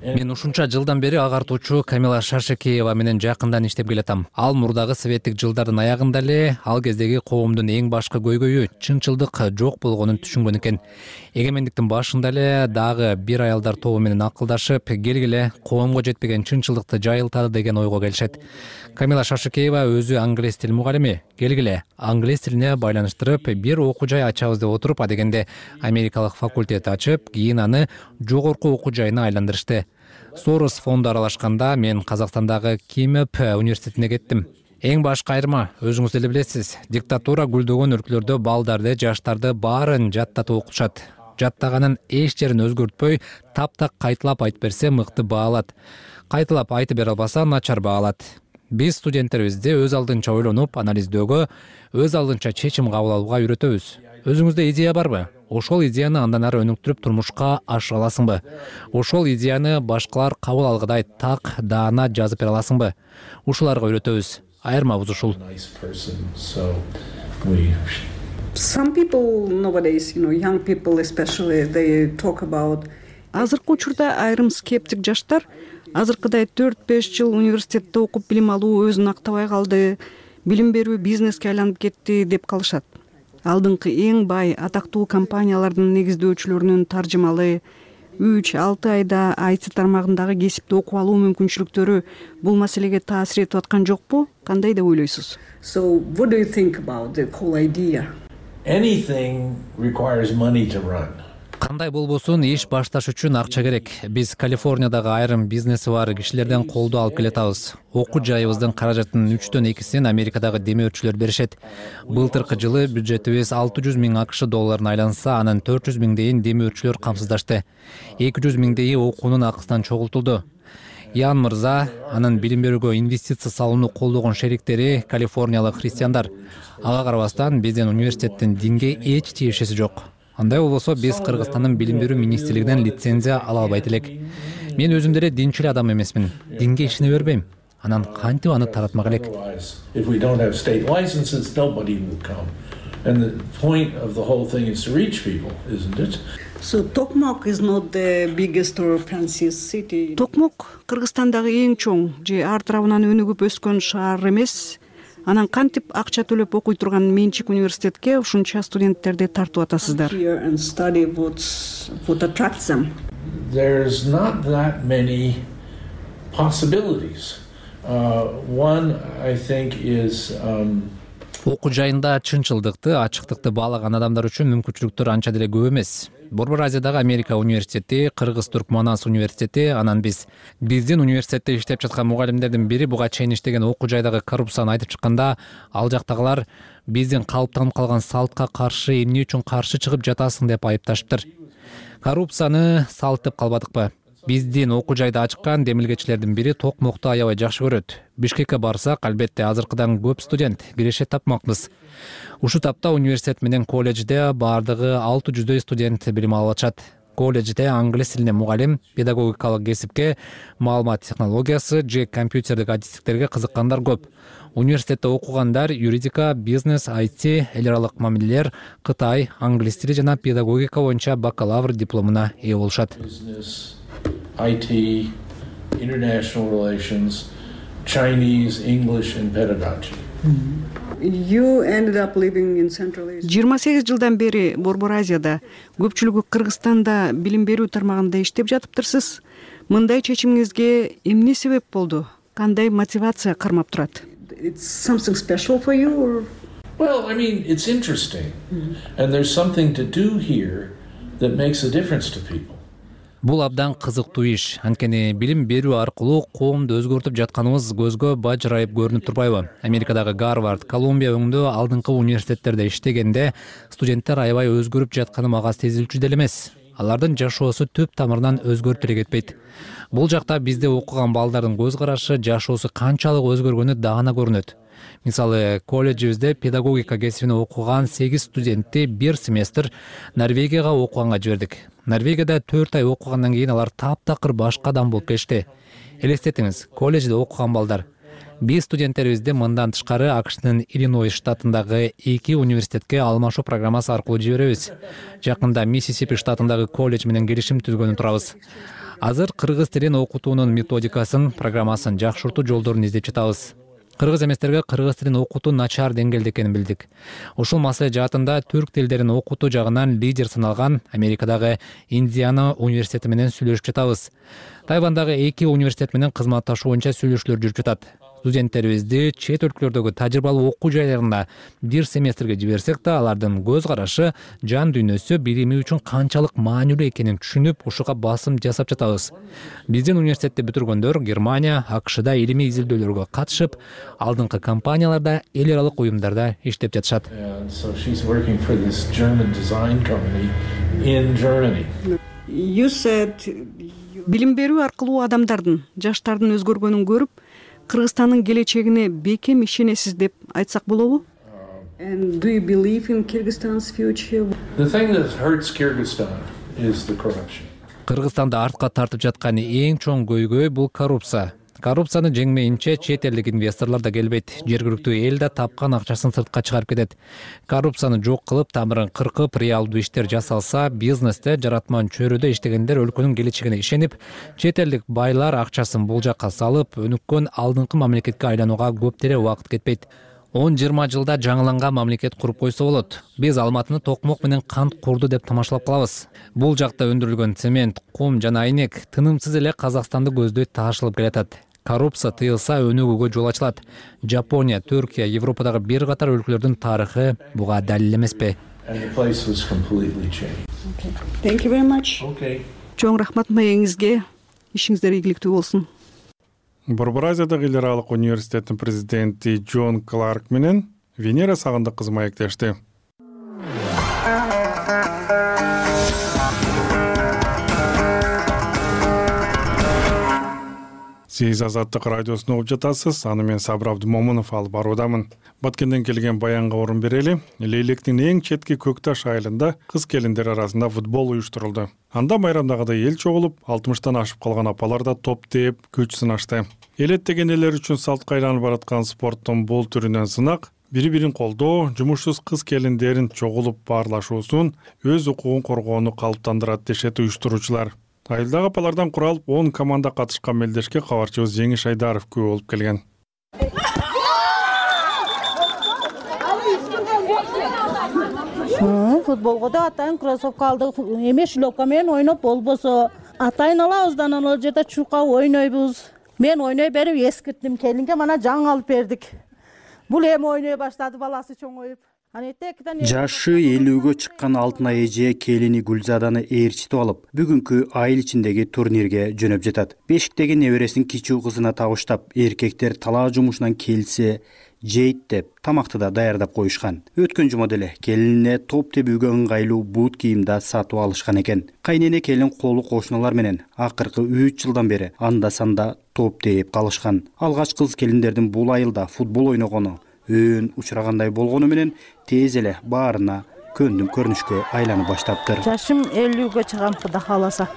Мен ушунча жылдан бери агартуучу Камила Шаршекеева менен жакындан иштеп келатам. Ал мурдагы советтик жылдардын аягында эле ал кездеги коомдун эң башкы көйгөйү чынчылдык жок болгонун түшүнгөн экен. Эгемендиктин башында эле дагы бир аялдар тобу менен акылдашып, келгиле коомго жетпеген чынчылдыкты жайылталы деген ойго келишет. Камила Шаршекеева өзү англис тил мугалими. Келгиле англис тилине байланыштырып бир окуу жай ачабыз деп отуруп, адегенде америкалык факультет ачып, кийин аны жогорку окуу жайына айландырышты. Сорос фонду аралашканда мен Казакстандагы Кимеп университетине кеттим. Эң башкы айырма, өзүңүз деле билесиз, диктатура гүлдөгөн өлкөлөрдө балдарды, жаштарды баарын жаттатып окутушат. Жаттаганын эч жерин өзгөртпөй, таптак кайталап айтып берсе мыкты баалат. Кайталап айтып бере албаса начар баалат. Биз студенттерибизди өз алдынча ойлонуп, анализдөөгө, өз алдынча чечим кабыл алууга үйрөтөбүз. Өзүңүздө идея барбы? Ошол идеяны андан ары өнүктүрүп турмушка ашыра аласыңбы? Ошол идеяны башкалар кабыл алгыдай так, даана жазып бере аласыңбы? Ушуларга үйрөтөбүз. Айырмабыз ушул. Some people nowadays, you know, young people especially, they talk about. Азыркы учурда айрым скептик жаштар азыркыдай төрт беш жыл университетте окуп билим алуу өзүн актабай калды, билим берүү бизнеске айланып кетти деп калышат. Алдыңкы эң бай, атактуу компаниялардын негиздөөчүлөрүнүн таржымалы үч алты айда ай ти тармагындагы кесипти окуп алуу мүмкүнчүлүктөрү бул маселеге таасир этип аткан жокпу? Кандай деп ойлойсуз? So what do you think about the whole idea? Anything requires money to run. Кандай болбосун, иш башташ үчүн акча керек. Биз Калифорниядагы айрым бизнеси бар кишилерден колдоо алып келатабыз. Окуу жайыбыздын каражатынын үчтөн экисин Америкадагы демөөрчүлөр беришет. Былтыркы жылы бюджетибиз алты жүз миң акш долларын айланса, анын төрт жүз миңдейин демөөрчүлөр камсыздашты. эки жүз миңдейи окуунун акысынан чогултулду. Ян мырза, анын билим берүүгө инвестиция салууну колдогон шериктери калифорниялык христиандар. Ага карабастан биздин университеттин динге эч тиешеси жок. Андай болбосо биз Кыргызстандын билим берүү министрлигинен лицензия ала албайт элек. Мен өзүм деле динчил адам эмесмин. Динге ишене бербейм. Анан кантип аны таратмак элек? If we don't have state licenses, nobody will come. And the point of the whole thing is to reach people, isn't it? So Tokmok is not the biggest or fanciest city. Токмок Кыргызстандагы эң чоң же ар тарабынан өнүгүп өскөн шаар эмес. Анан кантип акча төлөп окуй турган менчик университетке ушунча студенттерди тартып атасыздар? Here and study what's what attracts them. There's not that many possibilities. Uh, one, I think, is um, окуу жайында чынчылдыкты, ачыктыкты баалаган адамдар үчүн мүмкүнчүлүктөр анча деле көп эмес. Борбор Азиядагы Америка университети, Кыргыз-Туркманас университети, анан биз биздин университетте иштеп жаткан мугалимдердин бири буга чейин иштеген окуу жайдагы коррупцияны айтып чыкканда, ал жактагылар биздин калыптанып калган салтка каршы эмне үчүн каршы чыгып жатасың деп айыпташыптыр. Коррупцияны салт деп калбадыкпы? Биздин окуу жайда ачыккан демилгечилердин бири Токмокту аябай жакшы көрөт. Бишкекке барсак, албетте азыркыдан көп студент, киреше тапмакпыз. Ушу тапта университет менен колледжде бардыгы алты жүздөй студент билим алып атышат. Колледжде англис тилине мугалим, педагогикалык кесипке, маалымат технологиясы же компьютердик адистиктерге кызыккандар көп. Университетте окугандар юридика, бизнес, ай ти, эл аралык мамилелер, Кытай, англис тили жана педагогика боюнча бакалавр дипломуна ээ болушат. I T, international relations, Chinese, English and pedagogy. You ended up living in Central Asia. жыйырма сегиз жылдан бери Борбор Азияда, көпчүлүгү Кыргызстанда билим берүү тармагында иштеп жатыптырсыз. Мындай чечимиңизге эмне себеп болду? Кандай мотивация кармап турат? It's something special for you or? Well, I mean, it's interesting. Mm-hmm. And there's something to do here that makes a difference to people. Бул абдан кызыктуу иш. Анткени билим берүү аркылуу коомду өзгөртүп жатканыбыз көзгө бажырайып көрүнүп турбайбы? Америкадагы Гарвард, Колумбия өңдө алдыңкы университеттерде иштегенде студенттер аябай өзгөрүп жатканы мага сезилчү деле эмес. Алардын жашоосу түп тамырынан өзгөрүп деле кетпейт. Бул жакта бизде окуган балдардын көз карашы, жашоосу канчалык өзгөргөнү даана көрүнөт. Мисалы, колледжибизде педагогика кесибине окуган сегиз студентти бир семестр Норвегияга окуганга жибердик. Норвегияда төрт ай окугандан кийин алар таптакыр башка адам болуп кетишти. Элестетиңиз, колледжде окуган балдар. Биз студенттерибизди мындан тышкары АКШнын Иллинойс штатындагы эки университетке алмашуу программасы аркылуу жиберебиз. Жакында Миссисипи штатындагы колледж менен келишим түзгөнү турабыз. Азыр кыргыз тилин окутуунун методикасын, программасын жакшыртуу жолдорун издеп жатабыз. Кыргыз эместерге кыргыз тилин окутуу начар деңгээлде экенин билдик. Ушул маселе жаатында түрк тилдерин окутуу жагынан лидер саналган Америкадагы Индиана университети менен сүйлөшүп жатабыз. Тайвандагы эки университет менен кызматташуу боюнча сүйлөшүүлөр жүрүп жатат. Студенттерибизди чет өлкөлөрдөгү тажрыйбалуу окуу жайларына бир семестрге жиберсек да, алардын көз карашы, жан дүйнөсү билими үчүн канчалык маанилүү экенин түшүнүп, ушуга басым жасап жатабыз. Биздин университетти бүтүргөндөр Германия, АКШда илимий изилдөөлөргө катышып, алдыңкы компанияларда, эл аралык уюмдарда иштеп жатышат. You said билим берүү аркылуу адамдардын, жаштардын өзгөргөнүн көрүп, Кыргызстандын келечегине бекем ишенесиз деп айтсак болобу? And do you believe in Kyrgyzstan's future? The thing that hurts Kyrgyzstan is the corruption. Кыргызстанды артка тартып жаткан эң чоң көйгөй бул коррупция. Коррупцияны жеңмейинче чет элдик инвесторлор да келбейт. Жергиликтүү эл да тапкан акчасын сыртка чыгарып кетет. Коррупцияны жок кылып, тамырын кыркып, реалдуу иштер жасалса, бизнесте, жаратман чөйрөдө иштегендер өлкөнүн келечегине ишенип, чет элдик байлар акчасын бул жакка салып, өнүккөн алдыңкы мамлекетке айланууга көптөрө убакыт кетпейт. он жыйырма жылда жаңыланган мамлекет куруп койсо болот. Биз Алматыны токмок менен кант курду деп тамашалап калабыз. Бул жакта өндүрүлгөн цемент, кум жана айнек тынымсыз эле Казакстанды көздөй таашылып келатат. Коррупция тыйылса өнүгүүгө жол ачылат. Жапония, Түркия, Европадагы бир катар өлкөлөрдүн тарыхы буга далил эмеспи? Thank you very much. Okay. Чоң рахмат маегиңизге. Ишиңиздер ийгиликтүү болсун. Борбор Азиядагы эл аралык университеттин президенти Джон Кларк менен Венера Сагындык кызы маектешти. Сиз Азаттык радиосун угуп жатасыз. Аны мен Сабыр Абдымомунов алып баруудамын. Баткенден келген баянга орун берели. Лейлектин эң четки Көкташ айылында кыз келиндер арасында футбол уюштурулду. Анда майрамдагыдай эл чогулуп, алтымыштан ашып калган апалар да топ тээп, күч сынашты. Элеттеген элер үчүн салтка айланып бараткан спорттун бул түрүнөн сынак, бири-бирин колдоо, жумушсуз кыз келиндерин чогулуп баарлашуусун, өз укугун коргоону калыптандырат дешет уюштуруучулар. Айылдагы апалардан куралып он команда катышкан мелдешке кабарчыбыз Жеңиш Айдаров күбө болуп келген. Футболго да атайын кроссовка алдык, эме шлёпка менен ойноп болбосо, атайын алабыздан анан жерде чуркап ойнойбуз. Мен ойной берип эскирттим, келинге мана жаң алып бердик. Бул эми ойной баштады баласы чоңоюп. Жашы элүүгө чыккан Алтынай эже келини Гүлзаданы ээрчитип алып, бүгүнкү айыл ичиндеги турнирге жөнөп жатат. Бешиктеги небересин кичүү кызына табыштап, эркектер талаа жумушунан келсе, жейт деп тамакты да даярдап коюшкан. Өткөн жумада эле келинине топ тебүүгө ыңгайлуу бут кийим да сатып алышкан экен. Кайнене келин колу кошуналар менен акыркы үч жылдан бери анда-санда топ тээп калышкан. Алгач кыз келиндердин бул айылда футбол ойногону өөн учурагандай болгону менен тез эле баарына көндүм көрүнүшкө айланып баштаптыр. Жашым элүүгө чыгам Кудай кааласа.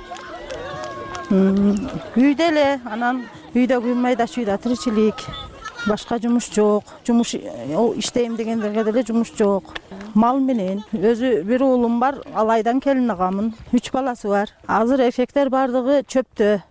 Үйдө эле, анан үйдө кыймайда шүйдө тиричилик. Башка жумуш жок. Жумуш иштейм дегендерге деле жумуш жок. Мал менен өзү бир уулум бар, алайдан келин агамын. үч баласы бар. Азыр эффекттер бардыгы чөптө.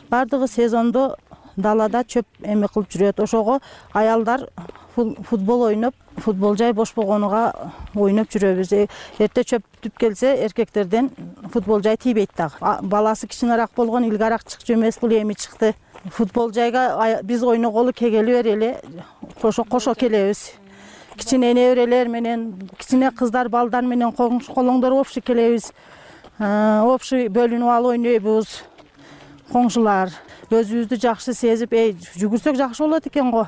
Бардыгы сезондо далада чөп эме кылып жүрөт. Ошого аялдар футбол ойноп, футбол жай бош болгонуга ойноп жүрөбүз. Эрте чөп бүтүп келсе, эркектерден футбол жай тийбейт дагы. Баласы кичинерээк болгон илгарак чыкчу эмес, бул эми чыкты. Футбол жайга биз ойноголу кегели берели, кошо кошо келебиз. Кичине неберелер менен, кичине кыздар, балдар менен колоңдор общий келебиз. Общий бөлүнүп алып ойнойбуз. Коңшулар өзүбүздү жакшы сезип, эй, жүгүрсөк жакшы болот экен го.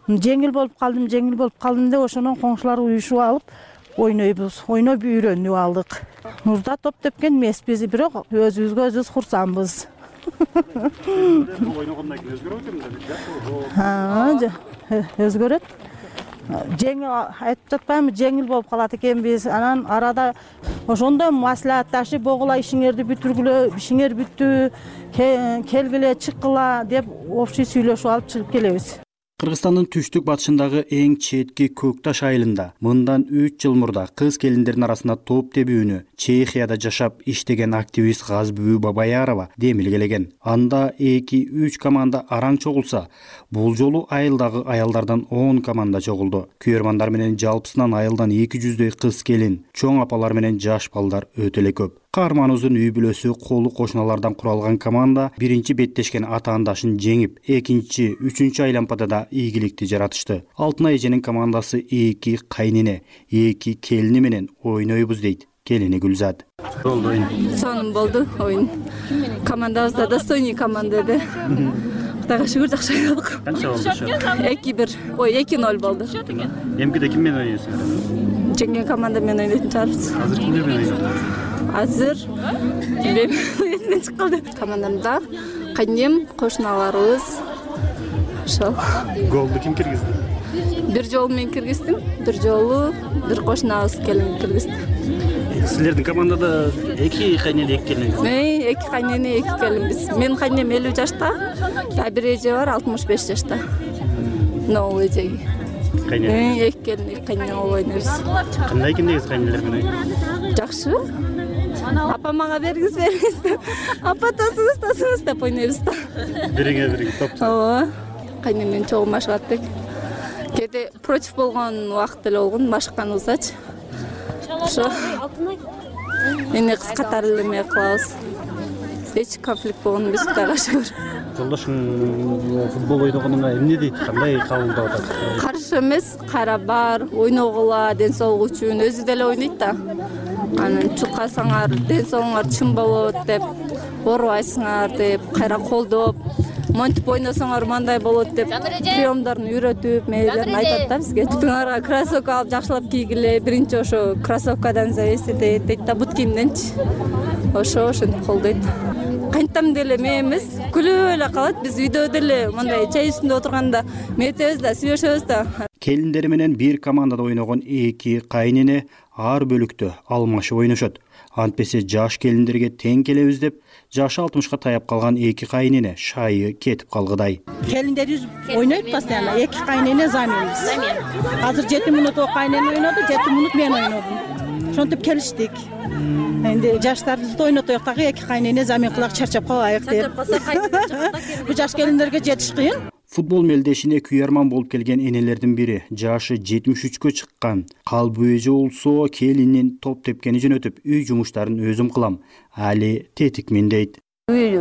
Жеңил болуп калдым, жеңил болуп калдым деп ошондон коңшулар уюшуп алып ойнойбуз. Ойноп үйрөнүп алдык. Мурда топ тепкен эмеспиз, бирок өзүбүзгө өзүбүз курсанбыз. Ойногондон кийин өзгөрөт эмне? Өзгөрөт. Жеңил айтып жатпаймынбы, жеңил болуп калат экенбиз. Анан арада ошондо маслихатташып, богула ишиңерди бүтүргүлө, ишиңер бүттү, келгиле, чыккыла деп общий сүйлөшүп алып чыгып келебиз. Кыргызстандын түштүк батышындагы эң четки Көк Таш айылында мындан үч жыл мурда кыз келиндердин арасында топ тебүүнү Чехияда жашап иштеген активист Газбүбү Бабаярова демилгелеген. Анда эки үч команда араң чогулса, бул жолу айылдагы аялдардан он команда чогулду. Күйөрмандар менен жалпысынан айылдан эки жүздөй кыз келин, чоң апалар менен жаш балдар өтө эле көп. Каарманыбыздын үй бүлөсү колу кошуналардан куралган команда биринчи беттешкен атаандашын жеңип, экинчи, үчүнчү айлампада да ийгиликти жаратышты. Алтынай эженин командасы эки кайнене, эки келини менен ойнойбуз дейт келини Гүлзат. Болду оюн. Сонун болду оюн. Командабыз да достойный команда эди. Кудайга шүгүр жакшы ойнодук. Канча болду ошо? эки бир, ой эки ноль болду. Эмкиде ким менен ойнойсуңар? Жеңген команда менен ойнойтун чыгарбыз. Азыр кимдер менен ойнойсуңар? Азыр эсимден чыгып калды. Командамда кайнем, кошуналарыбыз. Ошол. Голду ким киргизди? Бир жолу мен киргиздим, бир жолу бир кошунабыз келин киргизди. Силердин командада эки кайнене, эки келин. Мен эки кайнене, эки келинбиз. Менин кайнем элүү жашта, а бир эже бар алтымыш беш жашта. Новый эжеги. Кайнене. Эки келин, эки кайнене болуп ойнойбуз. Кандай экендигиз кайнелер менен ойнойсуз? Жакшы. Апа мага бергиз бериңиз деп. Апа тосуңуз, тосуңуз деп ойнойбуз да. Бириңе бириң топ. Ооба. Кайнем менен чогуу машыгат элек. Кээде против болгон убакыт эле болгон, машыкканыбызачы. Ошо. Эне кыз катары эле эме кылабыз. Эч конфликт болгон эмес, Кудайга шүгүр. Жолдошуң футбол ойногонуңа эмне дейт? Кандай кабылдап атат? Каршы эмес, кайра бар, ойногула, ден соолук үчүн өзү деле ойнойт да. Анан чукасаңар, ден соолугуңар чын болот деп, оорубайсыңар деп, кайра колдоп, монтип ойносоңор мындай болот деп, приемдорун үйрөтүп, мээлерин айтат да бизге. Бүтүңөргө кроссовка алып жакшылап кийгиле, биринчи ошо кроссовкадан зависит этет дейт да, бут кийимденчи. Ошо ошентип колдойт. Кантам деле мен эмес, күлүп эле калат. Биз үйдө деле мындай чай үстүндө отурганда метебиз да, сүйлөшөбүз да. Келиндери менен бир командада ойногон эки кайнене ар бөлүктө алмашып ойношот. Антпесе жаш келиндерге тең келебиз деп, жашы алтымышка таяп калган эки кайнене шайы кетип калгыдай. Келиндерибиз ойнойт постоянно, эки кайнене заменбиз. Азыр жети мүнөт о кайнене ойноду, жети мүнөт мен ойнодум. Ошентип келиштик. Энди жаштарыбызды ойнотоюк дагы, эки кайнене замен кылак, чарчап калбайык деп. Бул жаш келиндерге жетиш кыйын. Футбол мелдешине күйөрман болуп келген энелердин бири, жашы жетимиш үчкө чыккан Калбы эже болсо келинин топ тепкени жөнөтүп, үй жумуштарын өзүм кылам. Али тетикмин дейт. Үй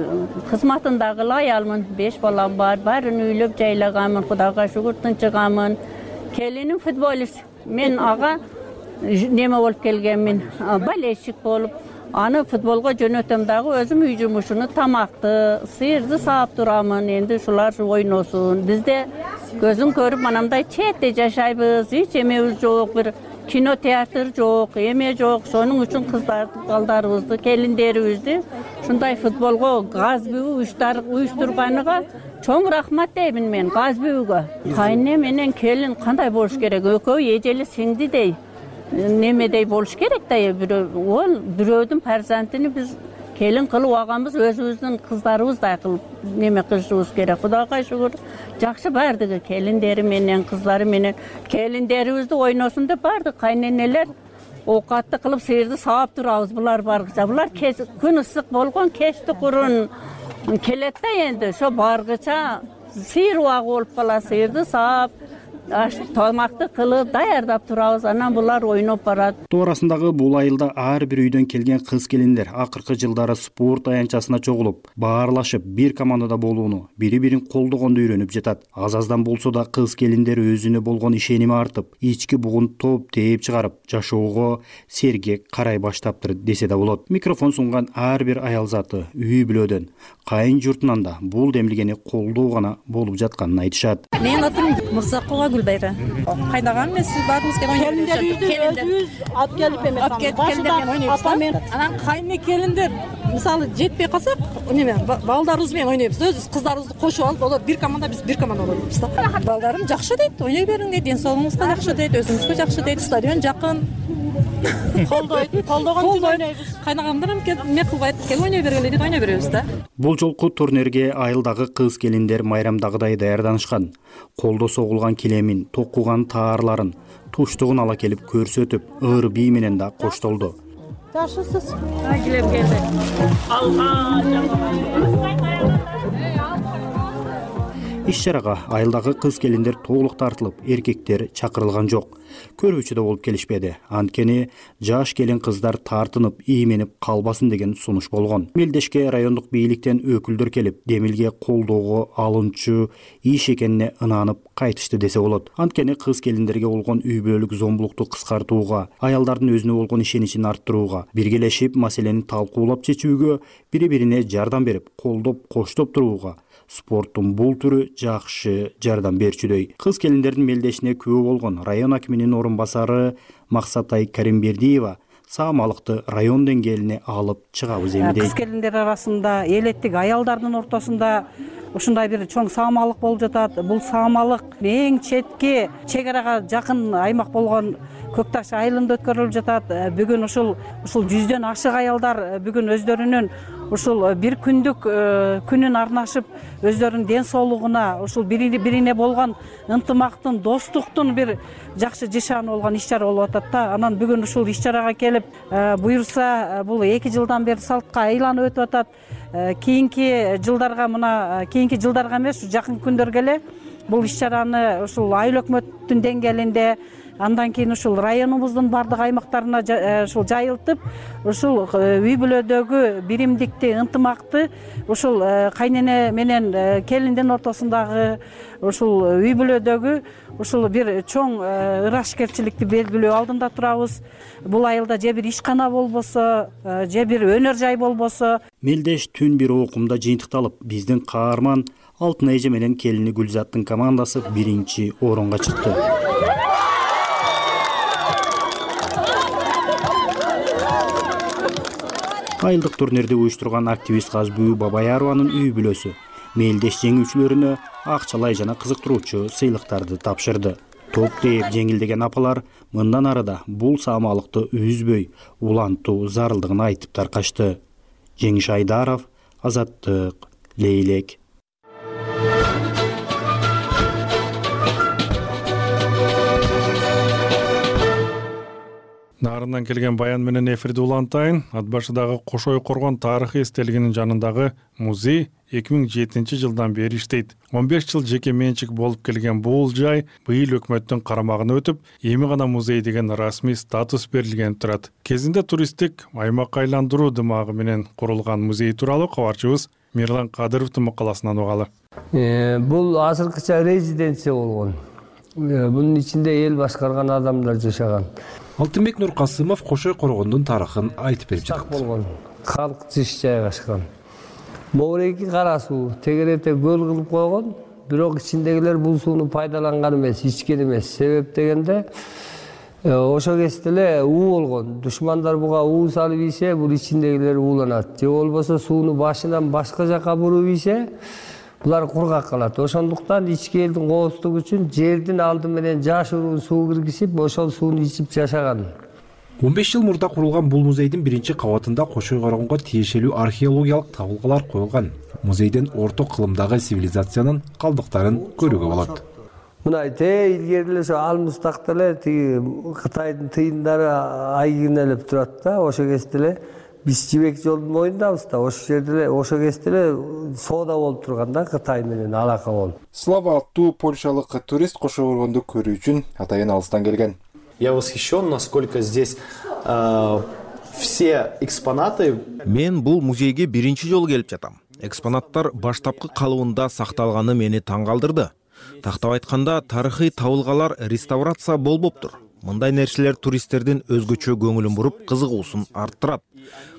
кызматындагы аялмын, беш балам бар, баарын үйлөп жайлаганмын, Кудайга шүгүр тынчыганмын. Келиним футболист, мен ага неме болуп келгенмин, болельщик болуп, аны футболго жөнөтөм дагы, өзүм үй жумушуну, тамакты, сыйырды саап турамын, энди ушулар ойносун. Бизде көзүн көрүп манамдай четте жашайбыз, эч эмебиз жок, бир кино театр жок, эме жок. Сонун үчүн кыздарды, балдарыбызды, келиндерибизди ушундай футболго Газбүбү уюштурганга чоң рахмат деймин мен Газбүбүгө. Кайне менен келин кандай болуш керек? Экөө эжели сиңдидей немедей болуш керек да, ол бирөөдүн фарзандын биз келин кылып алганбыз, өзүбүздүн кыздарыбыздай кылып неме кылышыбыз керек. Кудайга шүгүр, жакшы бардыгы келиндери менен, кыздары менен. Келиндерибизди ойносун деп барды кайненелер оокатты кылып сыйырды саап турабыз. Булар баргыча, булар күн ысык болгон, кечти курун келет да, энди ошо баргыча сыйыр убагы болуп калат, сыйырды саап тамакты кылып даярдап турабыз, анан булар ойноп барат. Тоо арасындагы бул айылда ар бир үйдөн келген кыз келиндер акыркы жылдары спорт аянтчасына чогулуп, баарлашып, бир командада болууну, бири-бирин колдогонду үйрөнүп жатат. Аз-аздан болсо да кыз келиндер өзүнө болгон ишеними артып, ички бугун топ тээп чыгарып, жашоого сергек карай баштаптыр десе да болот. Микрофон сунган ар бир аял заты үй бүлөдөн, кайын журтунан да бул демилгени колдоо гана болуп жатканын айтышат. Мен атым Мырзакова Гүлбайра. Кайдаган эмес, баарыбызга ойнойбуз. Келиндерибизди өзүбүз алып келип эме келиндер менен ойнойбуз. Анан кайны келиндер мисалы жетпей калсак неме балдарыбыз менен ойнойбуз, өзүбүз кыздарыбызды кошуп алып, олар бир команда, биз бир команда ойнойбуз да. Балдарым жакшы дейт, ойной бериң дейт, ден соолугуңузга жакшы дейт, өзүңүзгө жакшы дейт, стадион жакын. Колдойт, колдогон үчүн ойнойбуз. Кайнагамдар эме кылбайт, кел ойной бергиле дейт, ойной беребиз да. Бул жолку турнирге айылдагы кыз келиндер майрамдагыдай даярданышкан. Колдо согулган килемин, токуган таарларын, туштугун ала келип көрсөтүп, ыр бий менен да коштолду. Жакшысыз. Килем келди. Иш-чарага айылдагы кыз келиндер толук тартылып, эркектер чакырылган жок. Көрүүчү да болуп келишпеди. Анткени жаш келин кыздар тартынып, ийменип калбасын деген сунуш болгон. Мелдешке райондук бийликтен өкүлдөр келип, Демилге колдоого алынчу иш экенине ынанып кайтышты десе болот. Анткени кыз келиндерге болгон үй бүлөлүк зомбулукту кыскартууга, аялдардын өзүнө болгон ишеничин арттырууга, биргелешип маселени талкуулап чечүүгө, бири-бирине жардам берип, колдоп, коштоп турууга спорттун бул түрү жакшы жардам берчүдөй. Кыз келиндердин мелдешине күбө болгон район акиминин орун басары Максатай Каримбердиева саамалыкты район деңгээлине алып чыгабыз эми дейт. Кыз келиндер арасында элеттик аялдардын ортосунда ушундай бир чоң саамалык болуп жатат. Бул саамалык эң четки чек арага жакын аймак болгон Көкташ айылында өткөрүлүп жатат. Бүгүн ушул ушул жүздөн ашык аялдар бүгүн өздөрүнүн ушул бир күндүк күнүн арнашып, өздөрүнүн ден соолугуна, ушул бири-бирине болгон ынтымактын, достуктун бир жакшы жышааны болгон иш-чара болуп атат да. Анан бүгүн ушул иш-чарага келип, буюрса, бул эки жылдан бери салтка айланып өтүп атат. Кийинки жылдарга мына кийинки жылдарга эмес, жакын күндөргө эле бул иш-чараны ушул айыл өкмөттүн деңгээлинде, андан кийин ушул районубуздун бардык аймактарына ушул жайылтып, ушул үй бүлөдөгү биримдикти, ынтымакты ушул кайнене менен келиндин ортосундагы ушул үй бүлөдөгү ушул бир чоң ырашкерчиликти белгилөө алдында турабыз. Бул айылда же бир ишкана болбосо, же бир өнөр жай болбосо. Мелдеш түн бир окумда жыйынтыкталып, биздин каарман Алтын эже менен келини Гүлзаттын командасы биринчи орунга чыкты. Айылдык турнирди уюштурган активист Казбүү Бабаярованын үй бүлөсү мелдеш жеңүүчүлөрүнө акчалай жана кызыктыруучу сыйлыктарды тапшырды. Топ тээп жеңилдеген апалар мындан арыда бул саамалыкты үзбөй, улантуу зарылдыгын айтып таркашты. Жеңиш Айдаров, Азаттык, Лейлек. Нарынан келген баян менен эфирди улантайын. Ат башыдагы Кошой Коргон тарыхый эстелигинин жанындагы музей эки миң жетинчи жылдан бери иштейт. он беш жыл жеке менчик болуп келген бул жай быйыл өкмөттүн карамагына өтүп, эми гана музей деген расмий статус берилген турат. Кезинде туристтик аймак айландыруу дымагы менен курулган музей тууралуу кабарчыбыз Мирлан Кадыровдун макаласынан угалы. Бул азыркыча резиденция болгон. Бунун ичинде эл башкарган адамдар жашаган. Алтынбек Нуркасымов Кошой Коргондун тарыхын айтып берип жатат. Болгон калк жыш жайгашкан. Моореги кара суу тегерете көл кылып койгон, бирок ичиндегилер бул сууну пайдаланган эмес, ичкен эмес. Себеп дегенде ошо кезде эле уу болгон. Душмандар буга уу салып ийсе, бул ичиндегилер ууланат. Же болбосо сууну башынан башка жака буруп ийсе, булар кургак калат. Ошондуктан ички элдин коопсуздугу үчүн жердин алды менен жашыруун суу киргизип, ошол сууну ичип жашаган. он беш жыл мурда курулган бул музейдин биринчи кабатында Кошой Коргонго тиешелүү археологиялык табылгалар коюлган. Музейден орто кылымдагы цивилизациянын калдыктарын көрүүгө болот. Мына те илгери эле ошо Алмустакта эле тиги Кытайдын тыйындары айгинелеп турат да, ошо кезде эле биз Жибек жолдун моюндабыз да, ошол жерде эле ошо кезде эле соода болуп турган да, Кытай менен алака болуп. Слава аттуу польшалык турист Кошой Коргонду көрүү үчүн атайын алыстан келген. Я восхищен, насколько здесь э, все экспонаты. Мен бул музейге биринчи жолу келип жатам. Экспонаттар баштапкы калыбында сакталганы мени таң калтырды. Тактап айтканда, тарыхый табылгалар реставрация болбоптур. Мындай нерселер туристтердин өзгөчө көңүлүн буруп, кызыгуусун арттырат.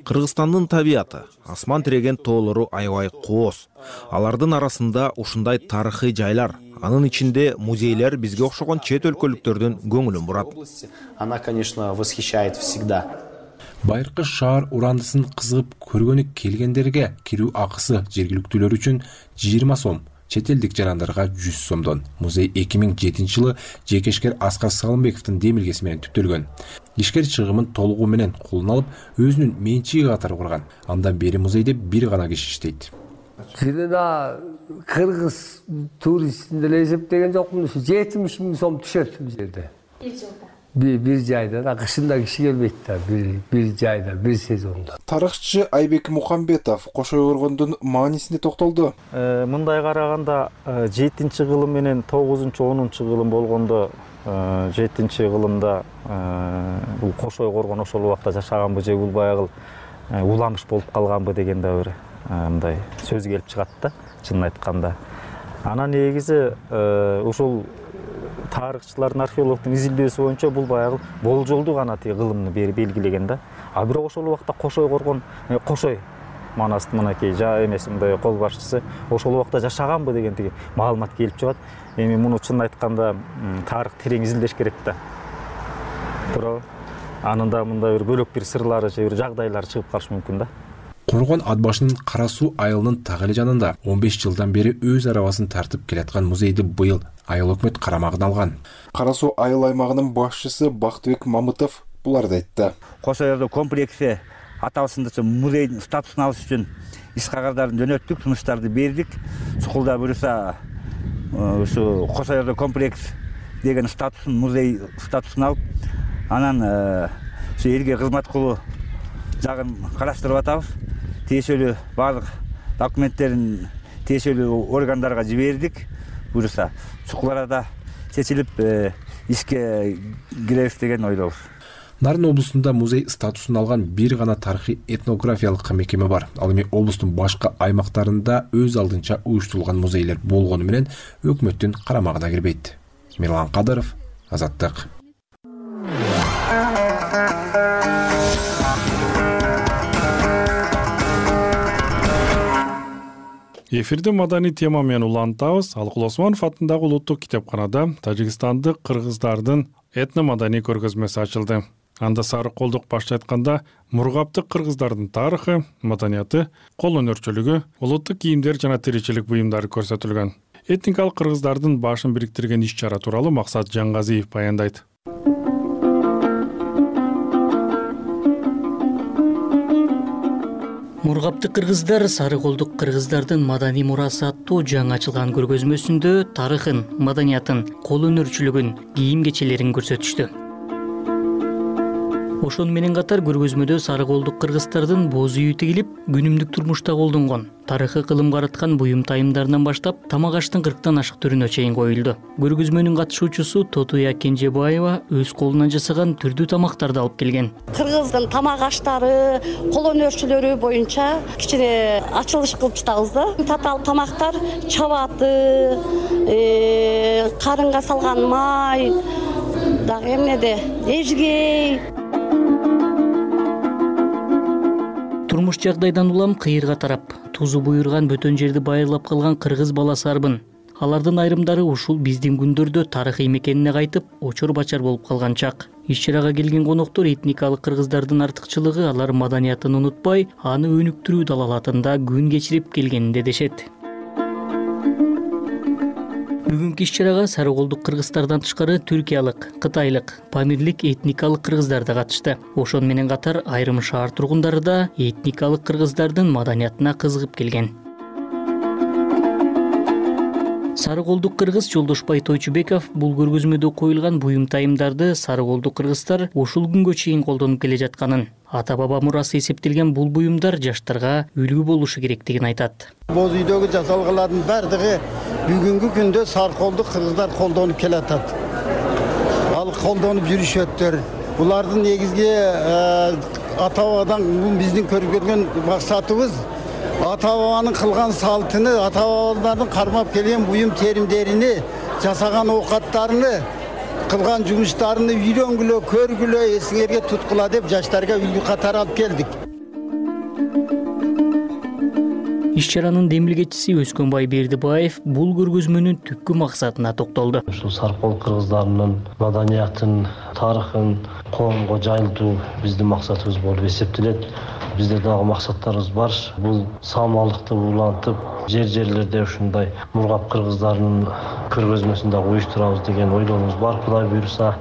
Кыргызстандын табияты, асман тиреген тоолору аябай кооз. Алардын арасында ушундай тарыхый жайлар, анын ичинде музейлер бизге окшогон чет өлкөлүктөрдүн көңүлүн бурат. Она, конечно, восхищает всегда. Байыркы шаар урандысын кызыгып көргөнү келгендерге кирүү акысы жергиликтүүлөр үчүн жыйырма сом, чет элдик жарандарга жүз сомдон. Музей эки миң жетинчи жылы жекешкер Аскар Салымбековдун демилгеси менен түптөлгөн. Ишкер чыгымын толугу менен колуна алып, өзүнүн менчиги катары курган. Андан бери музейде бир гана киши иштейт. Жылына кыргыз туристин деле эсептеген жокмун, жетимиш миң сом түшөт бул жерде. Бир жылда. Бир, бир жайда, кышында киши келбейт да, бир, бир жайда, бир сезонда. Тарыхчы Айбек Мухамбетов Кошой Коргондун маанисине токтолду. Мындай караганда жетинчи кылым менен тогузунчу онунчу кылым болгондо жетинчи кылымда бул Кошой Коргон ошол убакта жашаганбы же бул баягы уламыш болуп калганбы деген да бир мындай сөз келип чыгат да, чынын айтканда. Анан негизи ушул тарыхчылардын, археологдун изилдөөсү боюнча бул баягы болжолдуу гана тиги кылымны белгилеген да. А бирок ошол убакта Кошой Коргон, Кошой манастын мынакей жа эмеси мындай кол башчысы ошол убакта жашаганбы деген тиги маалымат келип чыгат. Эми муну чынын айтканда тарых терең изилдеш керек да. Бирок анында мындай бир бөлөк бир сырлары же бир жагдайлар чыгып калышы мүмкүн да. Коргон ат башынын Кара суу айылынын так эле жанында он беш жылдан бери өз арабасын тартып келаткан музейди быйыл айыл өкмөт карамагына алган. Кара суу айыл аймагынын башчысы Бактыбек Мамытов буларды айтты. Кошой комплекси аталышындагы музейдин статусун алыш үчүн иш кагардарын жөнөттүк, сунуштарды бердик. Сукулда буюрса ушу Кошой комплекс деген статусын, музей статусун алып, анан ушу элге кызмат кылуу жагын караштырып атабыз. Тиешелүү баардык документтерин тиешелүү органдарга жибердик. Буюрса чукул арада чечилип ишке киребиз деген ойлобуз. Нарын облусунда музей статусун алган бир гана тарыхый этнографиялык мекеме бар. Ал эми облустун башка аймактарында өз алдынча уюштурулган музейлер болгону менен өкмөттүн карамагына кирбейт. Мирлан Кадыров, Азаттык. Эфирде маданий тема менен улантабыз. Алыкул Осмонов атындагы улуттук китепканада тажикстандык кыргыздардын этно-маданий көргөзмөсү ачылды. Анда Сары Колдук башчы айтканда, мургаптык кыргыздардын тарыхы, маданияты, кол өнөрчүлүгү, улуттук кийимдер жана тиричилик буюмдары көрсөтүлгөн. Этникалык кыргыздардын башын бириктирген иш-чара тууралуу Максат Жаңгазиев баяндайт. Мургаптык кыргыздар Сары Колдук кыргыздардын маданий мурасы аттуу жаңы ачылган көргөзмөсүндө тарыхын, маданиятын, кол өнөрчүлүгүн, кийим кечелерин көрсөтүштү. Ошону менен катар көргөзмөдө Сары Колдук кыргыздардын боз үйү тигилип, күнүмдүк турмушта колдонгон тарыхы кылым караткан буюм тайымдарынан баштап тамак аштын кырктан ашык түрүнө чейин коюлду. Көргөзмөнүн катышуучусу Тотуя Кенжебаева өз колунан жасаган түрдүү тамактарды алып келген. Кыргыздын тамак аштары, кол өнөрчүлөрү боюнча кичине ачылыш кылып жатабыз да. Татаал тамактар чабаты, карынга салган май, дагы эмнеде, эжгей. Турмуш жагдайдан улам кыйырга тарап, тузу буйрган бөтөн жерди байырлап калган кыргыз баласы арбын. Алардын айрымдары ушул биздин күндөрдө тарыхый мекенине кайтып, очор-бачар болуп калган чак. Иш-чарага келген коноктор этникалык кыргыздардын артыкчылыгы алар маданиятын унутпай, аны өнүктүрүү далалатында күн кечирип келгенинде дешет. Бүгүнкү иш-чарага Сары Колдук кыргыздардан тышкары түркиялык, кытайлык, памирлик этникалык кыргыздар да катышты. Ошону менен катар айрым шаар тургундары да этникалык кыргыздардын маданиятына кызыгып келген. Сары Колдук кыргыз Жолдошбай Тойчубеков бул көргөзмөдө коюлган буюм тайымдарды Сары Колдук кыргыздар ушул күнгө чейин колдонуп келе жатканын, ата-баба мурасы эсептелген бул буюмдар жаштарга үлгү болушу керектигин айтат. Боз үйдөгү жасалгалардын бардыгы бүгүнкү күндө Сары Колдук кыргыздар колдонуп келатат. Ал колдонуп жүрүшөттөр. Булардын негизги ата-бабадан биздин көргөн максатыбыз ата-бабанын кылган салтыны, ата-бабалардын кармап келген буюм теримдерини, жасаган оокаттарыны, кылган жумуштарыны үйрөнгүлө, көргүлө, эсиңерге туткула деп жаштарга үлгү катары алып келдик. Иш чаранын демилгечиси Өскөнбай Бердибаев бул көргөзмөнүн түпкү максатына токтолду. Ушул саркол кыргыздарынын маданиятын, тарыхын коомго жайылтуу биздин максатыбыз болуп эсептелет. Бизде дагы максаттарыбыз бар. Бул саамалыкты улантып, жер-жерлерде ушундай мургап кыргыздарынын көргөзмөсүн дагы уюштурабыз деген ойлорубуз бар. Кудай буйруса,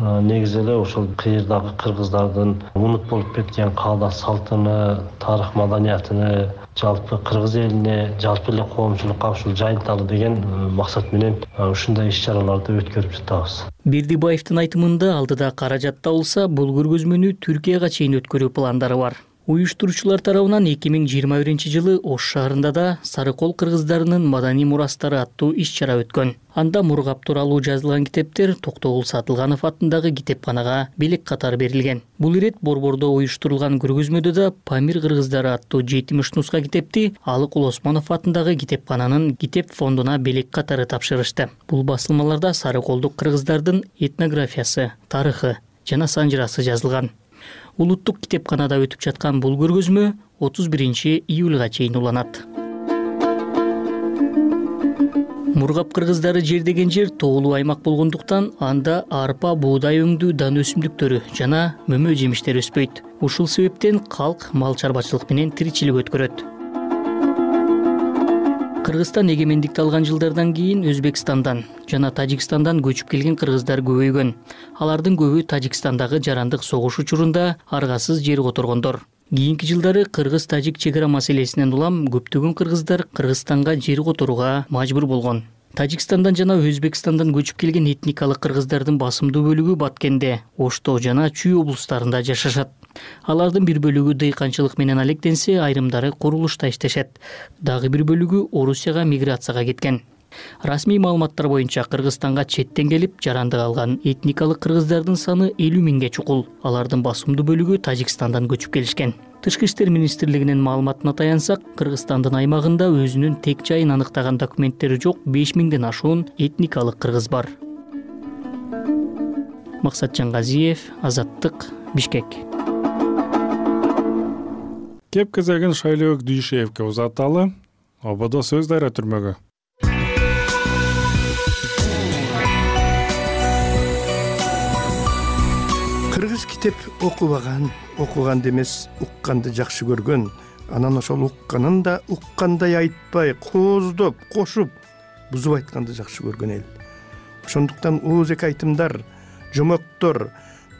негизи эле ошол кыйырдагы кыргыздардын унут болуп кеткен каада салтыны, тарых маданиятыны жалпы кыргыз элине, жалпы эле коомчулукка ушул жайылталы деген максат менен ушундай иш-чараларды өткөрүп жатабыз. Бердибаевдин айтымында алдыда каражат табылса, бул көргөзмөнү Түркияга чейин өткөрүү пландары бар. Уюштуруучулар тарабынан эки миң жыйырма биринчи жылы Ош шаарында да Сарыкол кыргыздарынын маданий мурастары аттуу иш-чара өткөн. Анда мургап тууралуу жазылган китептер Токтогул Сатылганов атындагы китепканага белек катары берилген. Бул ирет Борбордо уюштурулган көргөзмөдө да Памир кыргыздары аттуу жетимиш нуска китепти Алыкул Осмонов атындагы китепкананын китеп фондуна белек катары тапшырышты. Бул басылмаларда сарыколдук кыргыздардын этнографиясы, тарыхы жана санжырасы жазылган. Улуттук китепканада өтүп жаткан бул көргөзмө отуз биринчи июлга чейин уланат. Мургап кыргыздары жердеген жер тоолуу аймак болгондуктан анда арпа, буудай өңдүү дан өсүмдүктөрү жана мөмө жемиштер өспөйт. Ушул себептен калк мал чарбачылык менен тиричилик өткөрөт. Кыргызстан эгемендикти алган жылдардан кийин Өзбекстандан жана Тажикстандан көчүп келген кыргыздар көбөйгөн. Алардын көбү Тажикстандагы жарандык согуш учурунда аргасыз жер которгондор. Кийинки жылдары кыргыз-тажик чек ара маселесинен улам көптөгөн кыргыздар Кыргызстанга жер которууга мажбур болгон. Тажикстандан жана Өзбекстандан көчүп келген этникалык кыргыздардын басымдуу бөлүгү Баткенде, Ошто жана Чүй облустарында жашашат. Алардын бир бөлүгү дыйканчылык менен алектенсе, айрымдары курулушта иштешет. Дагы бир бөлүгү Орусияга миграцияга кеткен. Расмий маалыматтар боюнча Кыргызстанга четтен келип жарандык алган этникалык кыргыздардын саны элүү миңге чукул. Алардын басымдуу бөлүгү Тажикстандан көчүп келишкен. Тышкы иштер министрлигинин маалыматына таянсак, Кыргызстандын аймагында өзүнүн тек жайын аныктаган документтери жок беш миңден ашуун этникалык кыргыз бар. Максатжан Газиев, Азаттык, Бишкек. Кеп кезегин Шайлоок Дүйшеевке узаталы. Ободо сөз дайра түрмөгө. Кыргыз китеп окубаган, окуганды эмес, укканды жакшы көргөн. Анан ошол укканын да уккандай айтпай, кооздоп, кошуп, бузуп айтканды жакшы көргөн эл. Ошондуктан ооз эки айтымдар, жомоктор,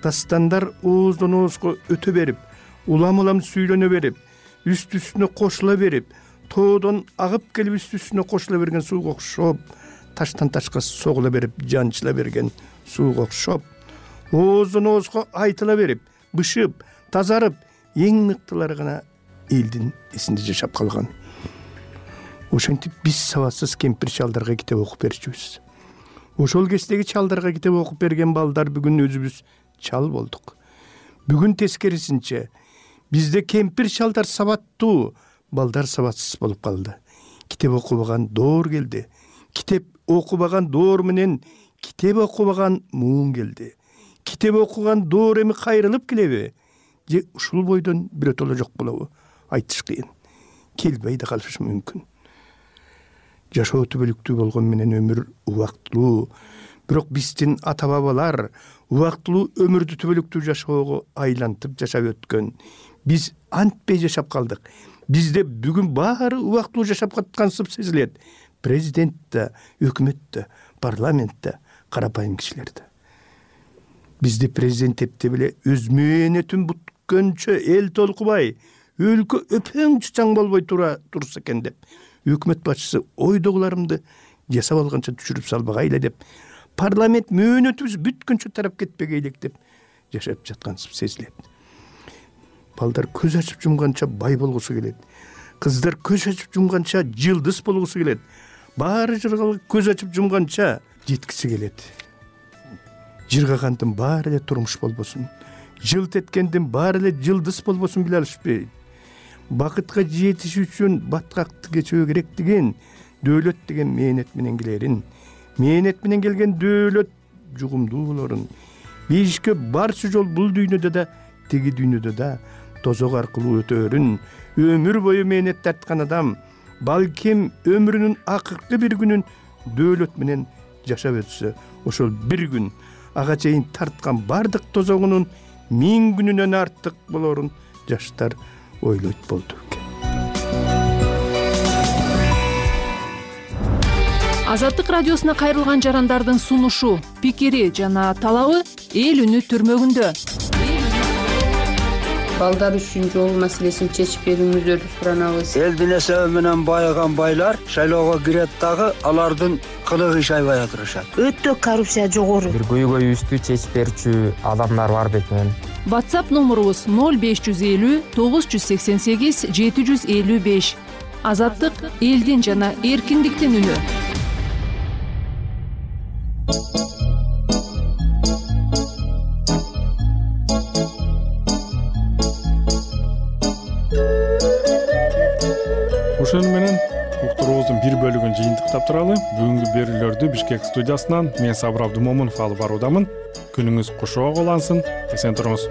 дастандар ооздон оозго өтө берип, улам-улам сүйлөнө берип, үстү-үстүнө кошула берип, тоодон агып келип үстү-үстүнө кошула берген сууга окшоп, таштан ташка согула берип, жанчыла берген сууга окшоп, ооздон оозго айтыла берип, бышып, тазарып, эң мыктылары гана элдин эсинде жашап калган. Ошентип биз сабатсыз кемпир чалдарга китеп окуп берчүбүз. Ошол кездеги чалдарга китеп окуп берген балдар бүгүн өзүбүз чал болдук. Бүгүн тескерисинче бизде кемпир чалдар сабаттуу, балдар сабатсыз болуп калды. Китеп окубаган доор келди. Китеп окубаган доор менен китеп окубаган муун келди. Китеп окуган доор эми кайрылып келеби? Же ушул бойдон бирөтөлө жок болобу? Айтыш кыйын. Келбей да калышы мүмкүн. Жашоо түбөлүктүү болгон менен өмүр убактылуу. Бирок биздин ата бабалар убактылуу өмүрдү түбөлүктүү жашоого айлантып жашап өткөн. Биз антпей жашап калдык. Бизде бүгүн баары убактылуу жашап каткансып сезилет. Президент да, өкмөт да, парламент да, карапайым кишилер да. Бизде президент эптеп эле өз мээнетин бүткөнчө эл толкубай, өлкө өпөң чучаң болбой тура турса экен деп, өкмөт башчысы ойдогуларымды жасап алганча түшүрүп салбагайлы деп, парламент мөөнөтүбүз бүткөнчө тарап кетпегей элек деп жашап жаткансып сезилет. Балдар көз ачып жумганча бай болгусу келет. Кыздар көз ачып жумганча жылдыз болгусу келет. Баары жыргалып көз ачып жумганча жеткиси келет. Жыргагандын баары эле турмуш болбосун, жылт эткендин баары эле жылдыз болбосун биле алышпайт. Бакытка жетиш үчүн баткакты кечүү керек деген, дөөлөт деген мээнет менен келерин, мээнет менен келген дөөлөт жугумдуу болорун. Бейишке барчы жол бул дүйнөдө да, теги дүйнөдө да тозок аркылуу өтөөрүн, өмүр бою мээнет тарткан адам балким өмүрүнүн акыркы бир күнүн дөөлөт менен жашап өтсө, ошол бир күн ага чейин тарткан бардык тозогунун миң күнүнөн артык болорун жаштар ойлойт болду. Азаттык радиосуна кайрылган жарандардын сунушу, пикири жана талабы эл үнү түрмөгүндө. Балдар үчүн жол маселесин чечип берүүңүздөрдү суранабыз. Элдин эсеби менен байыган байлар шайлоого кирет дагы алардын кылыгы шайбай отурушат. Өтө коррупция жогору. Бир көйгөйүбүздү чечип берүүчү адамдар бар бекен. WhatsApp номурубуз ноль беш жүз элүү тогуз жүз сексен сегиз жети жүз элүү беш. Азаттык элдин жана эркиндиктин үнү. Ошону менен уктуруубуздун бир бөлүгүн жыйынтыктап туралы. Бүгүнкү берүүлөрдү Бишкек студиясынан мен Сабыр Абдымомунов алып баруудамын. Күнүңүз куш улансын, эсен туруңуз.